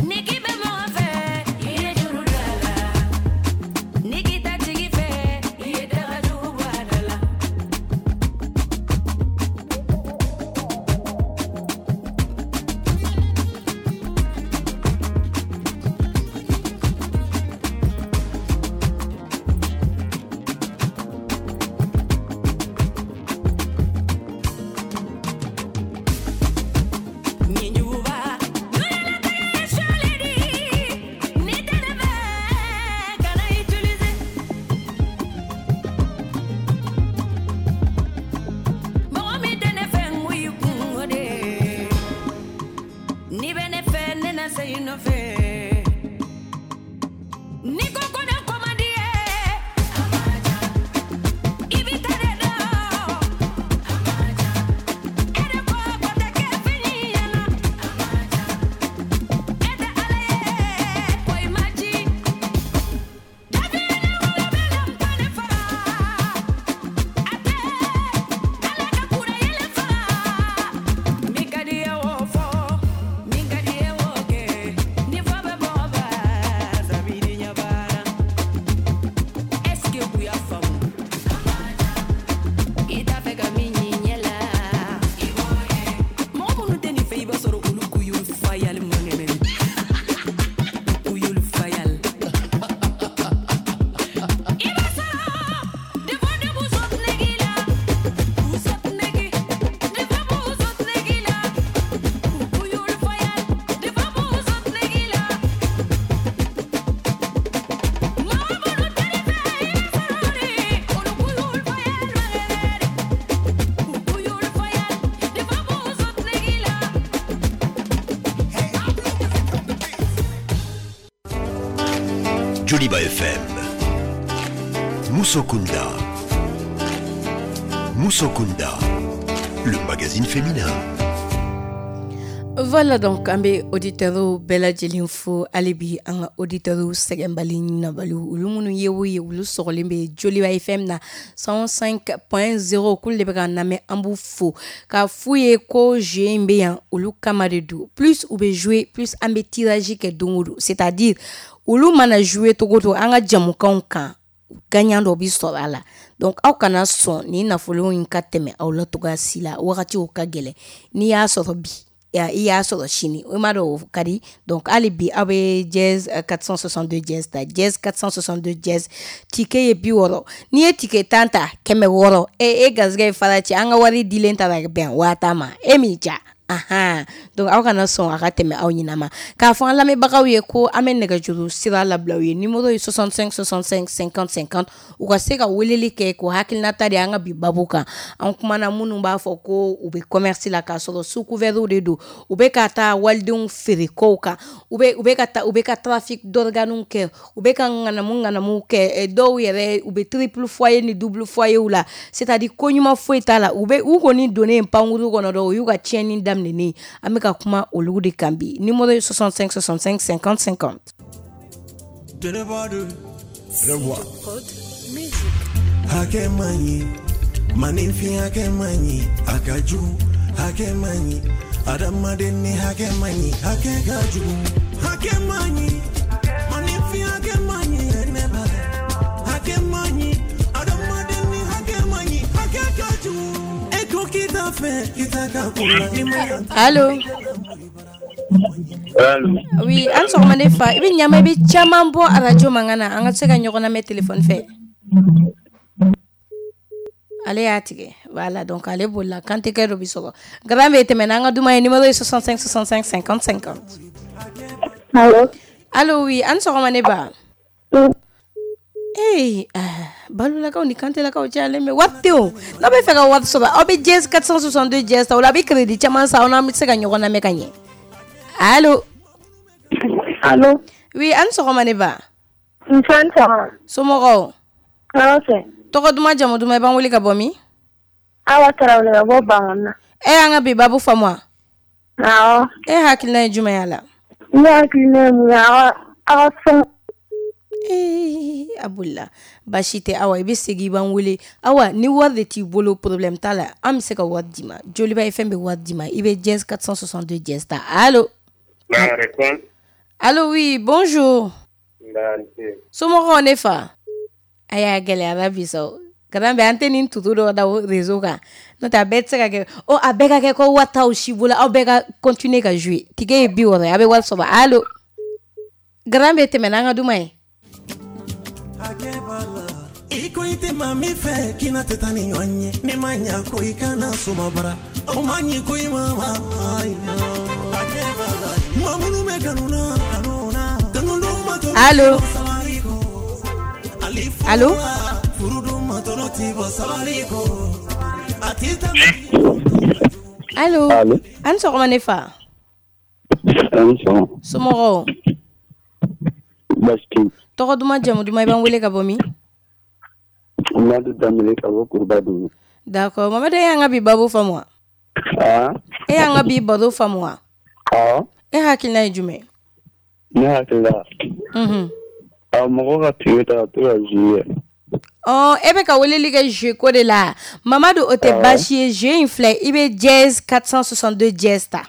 Ni k'i bɛ mɔgɔ fɛ, i ye juru don a la. Ni k'i t'a tigi fɛ, i ye dagajugu bɔ a da la. Ɲinjuguba dunalatigɛ ye sɔli di. N'i tɛ ne fɛ, kana utiliser. Mɔgɔ min tɛ ne fɛ, n ko i kungo de. N'i bɛ ne fɛ, ne na se i nɔfɛ. N'i ko ko ne ko man di ye, i b'i ta de dɔn. E de ko ko tɛ kɛ fini ɲɛna. E tɛ Ala ye, ko i ma ci. Dafinɛ wolo bɛ na n ba ne faga. A tɛ Ala ka kura yɛlɛ faga. Min ka di ye o fɔ, min ka di ye o kɛ. Ni fɔ bɛ mɔgɔ ba, sabidi ɲɛ banna. Est-ce que u y'a faamu? I t'a fɛ ka min y'i ɲɛ la. Mɔgɔ minnu tɛ nin fɛ, i b'a sɔrɔ olu k'u fayali man kɛnɛ. K'u fayali. I b'a sɔrɔ des fois de b'u sɔt negi la. U sɔt negi. Des fois b'u sɔt negi la. U y'olu fayali. Des fois b'u sɔt negi la. Mɔgɔ minnu tɛ nin fɛ, i b'a sɔrɔ de olu k'u y'olu fayali man kɛnɛ. U y'olu fayali. Des fois b'u sɔt negi la. Joliba F M. Musokunda. Musokunda. Le magazine féminin. Voilà, donc an bɛ auditeurs bɛɛ lajɛlen fo. Hali bi an ka auditeurs sɛgɛnbali ɲinabali, olu minnu ye o ye, olu sɔgɔlen bɛ Joliba F M na cent cinq point zéro, k'olu de bɛ k'an lamɛn. An b'u fo k'a f'u ye ko jeu in bɛ yan olu kama de don. Plus u bɛ jouer, plus an bɛ tirage kɛ don o don, c'est-à-dire olu mana jouer togo o togo an ka jamukanw kan, gagnant dɔ bi sɔrɔ a la. Donc aw kana sɔn nin nafolo in ka tɛmɛ aw la togoya si la. Wagatiw ka gɛlɛn, n'i y'a sɔrɔ bi I y'a sɔrɔ sini, o ma dɔn o ka di. Donc hali bi aw bɛ dièse quatre cent soixante-deux dièse ta, dièse quatre cent soixante-deux dièse. Ticket ye bi wɔɔrɔ. N'i ye ticket tan ta, kɛmɛ wɔɔrɔ. E e garisɛgɛ ye fara ci, an ka wari dilen ta bɛn waa tan ma, e m'i ja. Ahan, donc aw kana sɔn a ka tɛmɛ aw ɲina ma. K'a fɔ an lamɛnbagaw ye ko an bɛ nɛgɛjuru sira labila u ye. Numéro ye soixante-cinq soixante-cinq cinquante cinquante. U ka se ka weleli kɛ k'o hakilinata di an ka bi babu kan. An kumana minnu b'a fɔ ko u bɛ commerce la k'a sɔrɔ sous couvert de don, u bɛ ka taa walidenw feere kow kan, u bɛ u bɛ ka taa, u bɛ ka trafic d'organes kɛ, u bɛ ka ŋanamu ŋanamu kɛ. Dɔw yɛrɛ, u bɛ triple foyer ni double foyer la, c'est à dire ko ɲuman foyi t'a la. U bɛ u kɔni donnen pankuru kɔnɔ dɔrɔn, u y'u ka tiɲɛni daminɛ. An bɛ ka kuma olu de kan bi. Numéro ye soixante-cinq soixante-cinq cinquante cinquante. Hakɛ man ɲi, maninfin hakɛ man ɲi, a ka jugu. Hakɛ man ɲi, adamaden ni hakɛ man ɲi, hakɛ ka jugu. Hakɛ man ɲi, maninfin hakɛ man ɲi, ne ba hakɛ man ɲi, adamaden ni hakɛ man ɲi, hakɛ ka jugu. E ko k'i t'a fɛ, k'i t'a ka ko la ni ma. Allo? Allo? Oui, an sɔgɔma ne fa. I bɛ ɲama, i bɛ caman bɔ arajo mankan na, an ka se ka ɲɔgɔn lamɛn téléphone fɛ. Ale y'a tigɛ. Voilà, donc ale bolila. Kantikɛ dɔ bi sɔrɔ garan bɛ tɛmɛ n'an ka duman ye. Numéro ye soixante-cinq soixante-cinq cinquante cinquante. Allo? Allo, oui, an sɔgɔma ne ba. Ee, ah, balolakaw ni kantelakaw cayalen bɛ. Wari tɛ o. N'aw bɛ fɛ ka wari sɔrɔ, aw bɛ dièse quatre cent soixante-deux dièse ta. O la a bɛ crédit caman san, aw n'an bɛ se ka ɲɔgɔn lamɛn ka ɲɛ. Allo? Allo? Oui, an sɔgɔma ne ba. Nse, ni sɔgɔma. Somɔgɔw? Tɔɔrɔ tɛ. Tɔgɔ duman, jamu duman, i b'an wele ka bɔ min? Awa Tarawele ka bɔ Bankɔni na. E y'an ka bi babu faamu wa? Awɔ. E hakilina ye jumɛn y'a la? Ne hakilina ye mun ye, aw ka fɛn Ee, a bolila. Baasi tɛ Awa, i bɛ segin i b'an wele. Awa, ni wari de t'i bolo, problème t'a la, an bɛ se ka wari d'i ma. Joliba ye fɛn bɛ wari d'i ma. I bɛ dièse quatre cent soixante-deux dièse ta. Allo? Allo, oui, bonjour. Somɔgɔw ne fa? A y'a gɛlɛyara bi sa. Kalan bɛ an tɛ nin tutu dɔ da réseau kan, n'o tɛ a bɛɛ tɛ se ka kɛ o, a bɛɛ ka kɛ ko wari t'aw si bolo. Aw bɛɛ ka continuer ka jouer. Ticket ye bi wɔɔrɔ ye, a bɛ wari sɔrɔ. Allo? Garan bɛ tɛmɛ n'an ka duman ye. I ko i tɛ maa min fɛ, k'i na tɛ taa ni ɲɔgɔn ye. Ni ma ɲa ko i kana soma bara, o ma ɲi ko i ma ma. Maa minnu bɛ kanu na, kanu na, kanu dun ma tɔɔrɔ. Allo? Allo? Furu dun ma tɔɔrɔ ti bɔ sabali kɔ. A ti tɛmɛ. Allo? Allo? An sɔgɔma ne fa. An sɔgɔma. Somɔgɔw? Baasi tɛ yen. Tɔgɔ duman, jamu duman, i b'an wele ka bɔ min? Mamadu Danbele ka bɔ Kurubadugu. D'accord, Mamadu, e y'an ka bi babu faamu wa? Ah? E y'an ka bi baro faamu wa? Awɔ. E hakilina ye jumɛn? Ne hakili la. Unhun. A mɔgɔ ka ticket ta ka to ka jouer. Ɔ, e bɛ ka weleli kɛ jeu ko de la. Mamadu, o tɛ Awɔ. baasi ye. Jeu in filɛ, i bɛ dièse quatre cent soixante-deux dièse ta.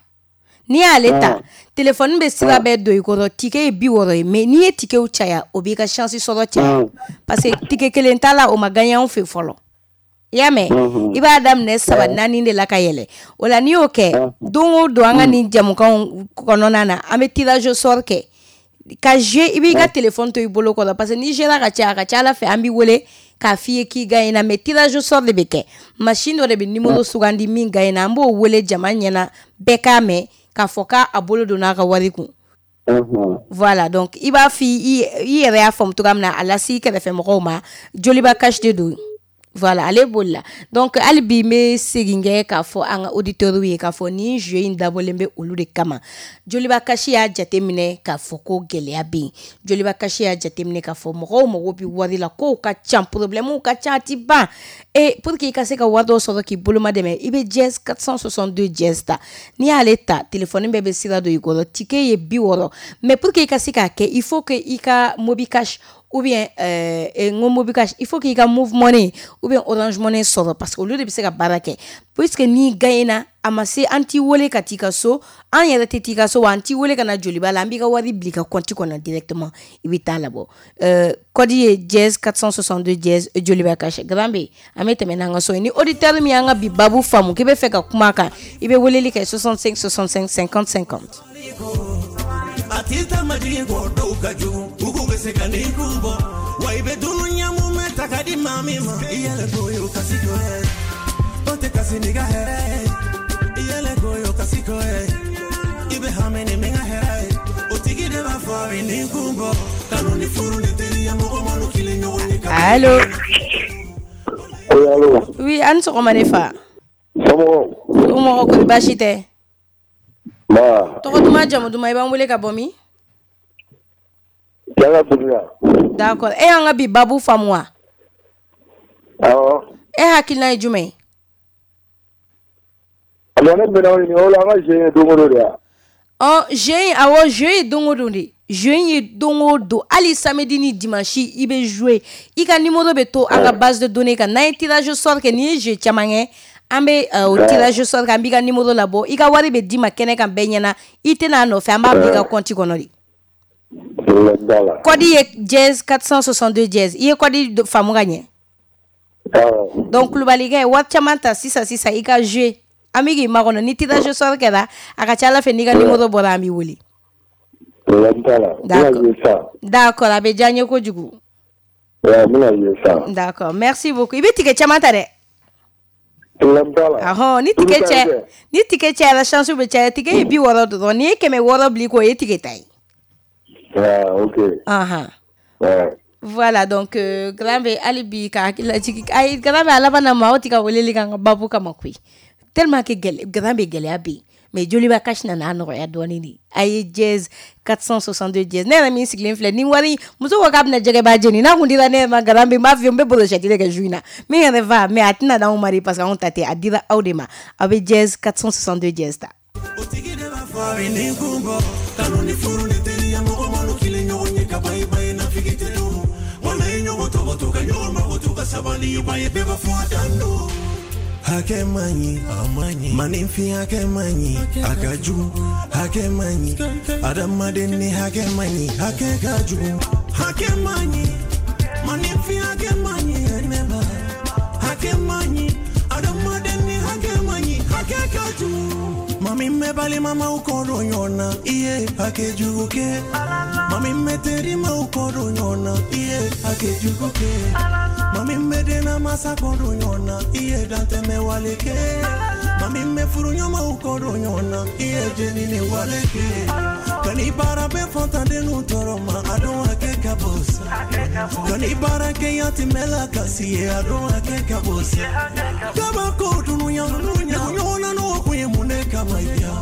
N'i y'ale ta, téléphone bɛ sira bɛɛ don i kɔrɔ. Ticket ye bi wɔɔrɔ ye, mais n'i ye ticketw caya, o b'i ka chance sɔrɔ caya, parce que ticket kelen t'a la, o ma gagné anw fɛ fɔlɔ. I y'a mɛn? I b'a daminɛ saba, naani de la ka yɛlɛ. O la n'i y'o kɛ, don o don an ka nin jamukanw kɔnɔna na, an bɛ tirage au sort kɛ ka jouer. I b'i ka téléphone to i bolo kɔrɔ, parce que n'i jouera ka caya, a ka ca Ala fɛ an b'i wele k'a f'i ye k'i gagné na. Mais tirage au sort de bɛ kɛ, machine dɔ de bɛ numéro sugandi, min gagné na, an b'o wele jama ɲɛna, bɛɛ k'a mɛn k'a fɔ k'a bolo donna a ka wari kun. Voilà, donc i b'a f'i i yɛrɛ y'a faamu cogoya min na, a lase i kɛrɛfɛ mɔgɔw ma. Joliba Cash de don. Voilà, ale bolila. Donc hali bi n bɛ segin kɛ k'a fɔ an ka auditeurs ye k'a fɔ nin jeu in dabɔlen bɛ olu de kama. Joliba Cash y'a jateminɛ k'a fɔ ko gɛlɛya bɛ yen. Joliba Cash y'a jateminɛ k'a fɔ mɔgɔw mago bɛ wari la, kow ka ca, problème ka ca, a ti ban. Et pour que i ka se ka wari dɔ sɔrɔ k'i boloma dɛmɛ, i bɛ dièse quatre cent soixante-deux dièse ta. N'i y'ale ta, téléphone bɛɛ bɛ sira don i kɔrɔ. Ticket ye bi wɔɔrɔ, mais pour que i ka se k'a kɛ, il faut que i ka Mobi Cash ou bien ou bien euh, n ko Mobicash, il faut k'i ka Moov Money ou bien Orange Money sɔrɔ, parce que olu de bɛ se ka baara kɛ, puisque n'i gagnena, a ma se, an t'i wele ka t'i ka so, an yɛrɛ tɛ t'i ka so wa, an t'i wele ka na Joliba la, an b'i ka wari bila i ka compte kɔnɔ directement, i bɛ taa labɔ. euh, code ye dièse quatre cent soixante-deux dièse Joliba Cash. Grand B, an bɛ tɛmɛ n'an ka so ye. Ni auditeur min y'an ka bi babu faamu k'i bɛ fɛ ka kuma a kan, i bɛ weleli kɛ soixante-cinq soixante-cinq cinquante cinquante. A t'i ta majigin kɔ, dɔw ka jugu, u k'u bɛ se ka n'i kun bɔ wa, i bɛ dunu ɲamu mɛn ta ka di maa min ma. I yɛlɛ ko ye o kasi ko ye, o tɛ kasi n'i ka hɛrɛ ye. I yɛlɛ ko ye o kasi ko ye, i bɛ hami ni min ka hɛrɛ ye, o tigi de b'a fɔ a bɛ n'i kun bɔ. Kanu ni furu ni teriya, mɔgɔ ma kelen ɲɔgɔn ye ka Allo? Oui, allo. Oui, an sɔgɔma ne fa. Somɔgɔw? Somɔgɔw kɔni, baasi tɛ? Ba. Tɔgɔ duman, jamu duman, i b'an wele ka bɔ min? Janga Duguya. D'accord, e y'an ka bi babu faamu wa? Awɔ. E hakilina ye jumɛn ye? Alors ne bɛna o ɲininka o la, an ka jeu ye don o don de ya? Ɔ, jeu in, awɔ, jeu ye don o don de. Jeu in ye don o don, hali samedi ni dimanche i bɛ jouer. I ka numéro bɛ to an ka base de données kan. N'an ye tirage au sort kɛ, n'i ye jeu caman kɛ, an bɛ euh, o tirage au sort kɛ, an b'i ka numéro labɔ, i ka wari bɛ d'i ma kɛnɛ kan bɛɛ ɲɛna, i tɛna a nɔfɛ, an b'a bila i ka compte kɔnɔ de. Problème t'a la. Code ye dièse quatre cent soixante-deux dièse. I ye code do- faamu ka ɲɛ? Awɔ. Donc Kulubalikɛ, wari caman ta sisan sisan, i ka jouer, an bɛ k'i makɔnɔ. Ni tirage au sort kɛra, a ka ca Ala fɛ, n'i ka numéro bɔra, an b'i wele. Problème t'a la. N bɛna D'accord. jouer sisan. D'accord, a bɛ diya n ye kojugu. Ouais, n bɛna jouer sisan. D'accord, merci beaucoup. I bɛ ticket caman ta dɛ. Problème t'a la. Ahɔn, ni ticket Olu ka cɛ ɲi dɛ. Ni ticket cayara, chance bɛ caya. Ticket ye bi wɔɔrɔ dɔrɔn, n'i ye kɛmɛ wɔɔrɔ bila i kɔ, o ye ticket ta ye. Ah, ok. Ahan. Ouais. Voilà, donc euh, grand B, hali bi ka hakili lajigin. Ayi, grand B, a laban na, maaw ti ka weleli kɛ an ka babu kama koyi, tellement que gɛlɛ, grand B, gɛlɛya bɛ yen, mais Joliba Cash nana a nɔgɔya dɔɔnin de. A ye dièse quatre cent soixante-deux dièse. Ne yɛrɛ min sigilen filɛ ni wari, muso ko k'a bɛna jɛgɛba jeni, n'a kun dira ne yɛrɛ ma, grand B, n b'a f'i ye, n bɛ brochette de kɛ su in na min yɛrɛ fa, mais a tɛna d'anw ma de, parce que anw ta tɛ, a dira aw de ma. Aw bɛ dièse quatre cent soixante-deux dièse ta. O tigi de b'a fɔ a bɛ n'i kun bɔ. Kanu ni furu ni teriya, mɔgɔ ma kelen ɲɔgɔn ye ka ban, i ba ye nafigi tɛ dun wala i ɲɔgɔn tɔgɔtɔ ka ɲɔgɔn makoto ka sabali, i ba ye bɛɛ b'a fɔ a dan don. Hakɛ man ɲi, a man ɲi, maninfin hakɛ man ɲi, a ka jugu. Hakɛ man ɲi, adamaden ni hakɛ man ɲi, hakɛ ka jugu. Hakɛ man ɲi, maninfin hakɛ man ɲi, ne ba. Hakɛ man ɲi, adamaden ni hakɛ man ɲi, hakɛ ka jugu. Maa min bɛ balimamaw kɔ don ɲɔgɔn na, i ye hakɛ jugu kɛ. Maa min bɛ terimaw kɔ don ɲɔgɔn na, i ye hakɛ jugu kɛ. Maa min bɛ denna masa kɔ don ɲɔgɔn na, i ye dantɛmɛ wale kɛ. Maa min bɛ furuɲɔgɔnmaw kɔ don ɲɔgɔn na, i ye jenini wale kɛ. Ka n'i baara bɛ fantandenw tɔɔrɔ ma, a dɔn hakɛ ka bon sa. Ka n'i baara kɛ yatimɛ la kasi ye, a dɔn hakɛ ka bon sa. Kabako dunuya, ɲɔgɔn na n'o kun ye mun de kama ya?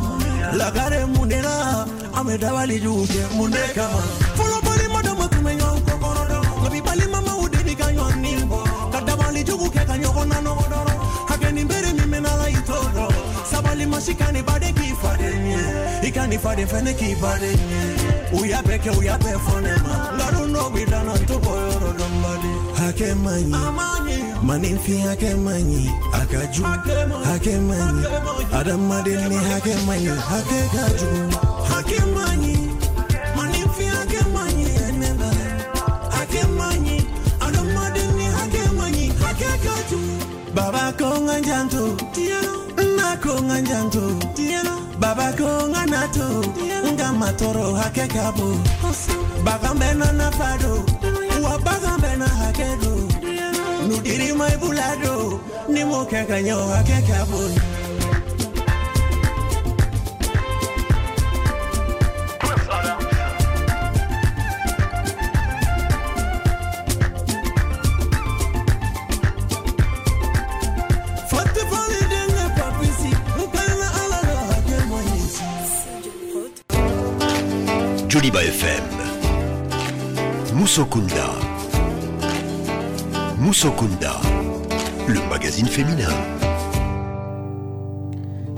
Lagare mun de la an bɛ dabali jugu kɛ mun de kama? Fɔlɔ balima dama tun bɛ ɲɔgɔn kɔkɔrɔ dɔn, nka bi balimamaw de bi ka ɲɔgɔn nin bɔ, ka dabali jugu kɛ ka ɲɔgɔn na nɔgɔ dɔrɔn. Hakɛ nin bere min bɛ n'ala, i t'o dɔn. Sabali ma si ka ni baden k'i faden ye, i ka ni faden fɛnɛ k'i baden ye. U y'a bɛɛ kɛ, u y'a bɛɛ fɔ ne ma, nkalon dɔw bɛ da n na, n t'o bɔ yɔrɔ dɔn baden. Hakɛ man ɲi, maninfin hakɛ man ɲi, a ka jugu. Hakɛ man ɲi, adamaden ni hakɛ man ɲi, hakɛ ka jugu. Hakɛ man ɲi, maninfin hakɛ man ɲi, ne ba. Hakɛ man ɲi, adamaden ni hakɛ man ɲi, hakɛ ka jugu. Baba ko n ka janto, n ko n ka janto. Baba ko n ka na to, n ka ma tɔɔrɔ, hakɛ ka bon. Bagan bɛɛ n'a nafa don, wa bagan bɛɛ n'a hakɛ don. N'u dir'i ma, i b'u ladon, ni m'o kɛ ka ɲɛ, o hakɛ ka bon. Fati fali denkɛ papisi, n kana Ala la, hakɛ man ɲi. Joliba F M. Musokunda. Musokunda. Le magazine féminin.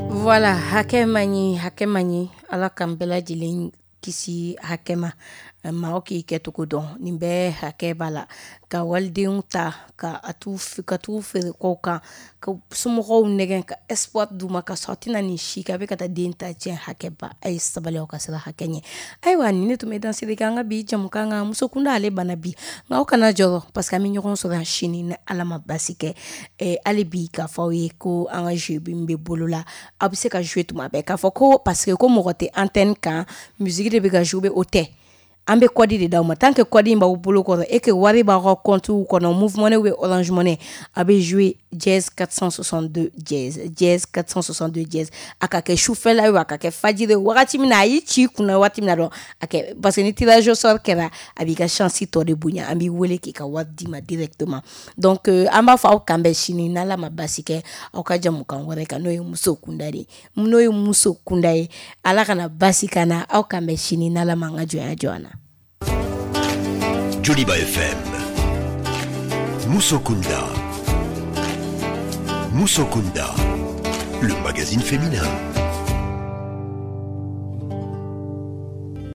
Voilà, hakɛ man ɲi, hakɛ man ɲi. Ala k'an bɛɛ lajɛlen kisi hakɛ ma. Maaw k'i kɛcogo dɔn, nin bɛɛ hakɛ b'a la. Ka walidenw ta ka a t'u ka t'u feere kɔw kan, ka somɔgɔw nɛgɛn ka espoir d'u ma, ka sɔrɔ a tɛna nin si kɛ, a bɛ ka taa den ta tiɲɛ. Hakɛ ba, a ye sabali, aw ka siran hakɛ ɲɛ. Ayiwa, nin ne tun bɛ dansigi kɛ an ka bi jamukan kan. Muso kunda ale banna bi, nka aw kana jɔrɔ, parce que an bɛ ɲɔgɔn sɔrɔ yan sini ni Ala ma basi kɛ. Hali bi k'a fɔ aw ye ko an ka jeu min bɛ bolo la, aw bɛ se ka jouer tuma bɛɛ, k'a fɔ ko parce que ko mɔgɔ tɛ antenne kan, musique de bɛ ka jouer, o tɛ. An bɛ code de d'aw ma. Tant que code in b'aw bolo kɔrɔ et que wari b'aw ka compte kɔnɔ, Moov Money ou Orange Money, a bɛ jouer dièse quatre cent soixante-deux dièse, dièse quatre cent soixante-deux dièse. A ka kɛ sufɛla ye, a ka kɛ fajiri, wagati min na a y'i ci i kunna waati min na dɔrɔn, a kɛ, parce que ni tirage au sort kɛra, a b'i ka chance tɔ de bonya, an b'i wele k'i ka wari d'i ma directement. Donc an b'a fɔ aw kan bɛn sini n'Ala ma basi kɛ, aw ka jamukan wɛrɛ kan, n'o ye muso kunda de ye, n'o ye muso kunda ye. Ala kana basi ka na, aw kan bɛn sini n'Ala ma an ka jɔnya jɔ an na. Joliba F M. Musokunda. Musokunda. Le magazine féminin.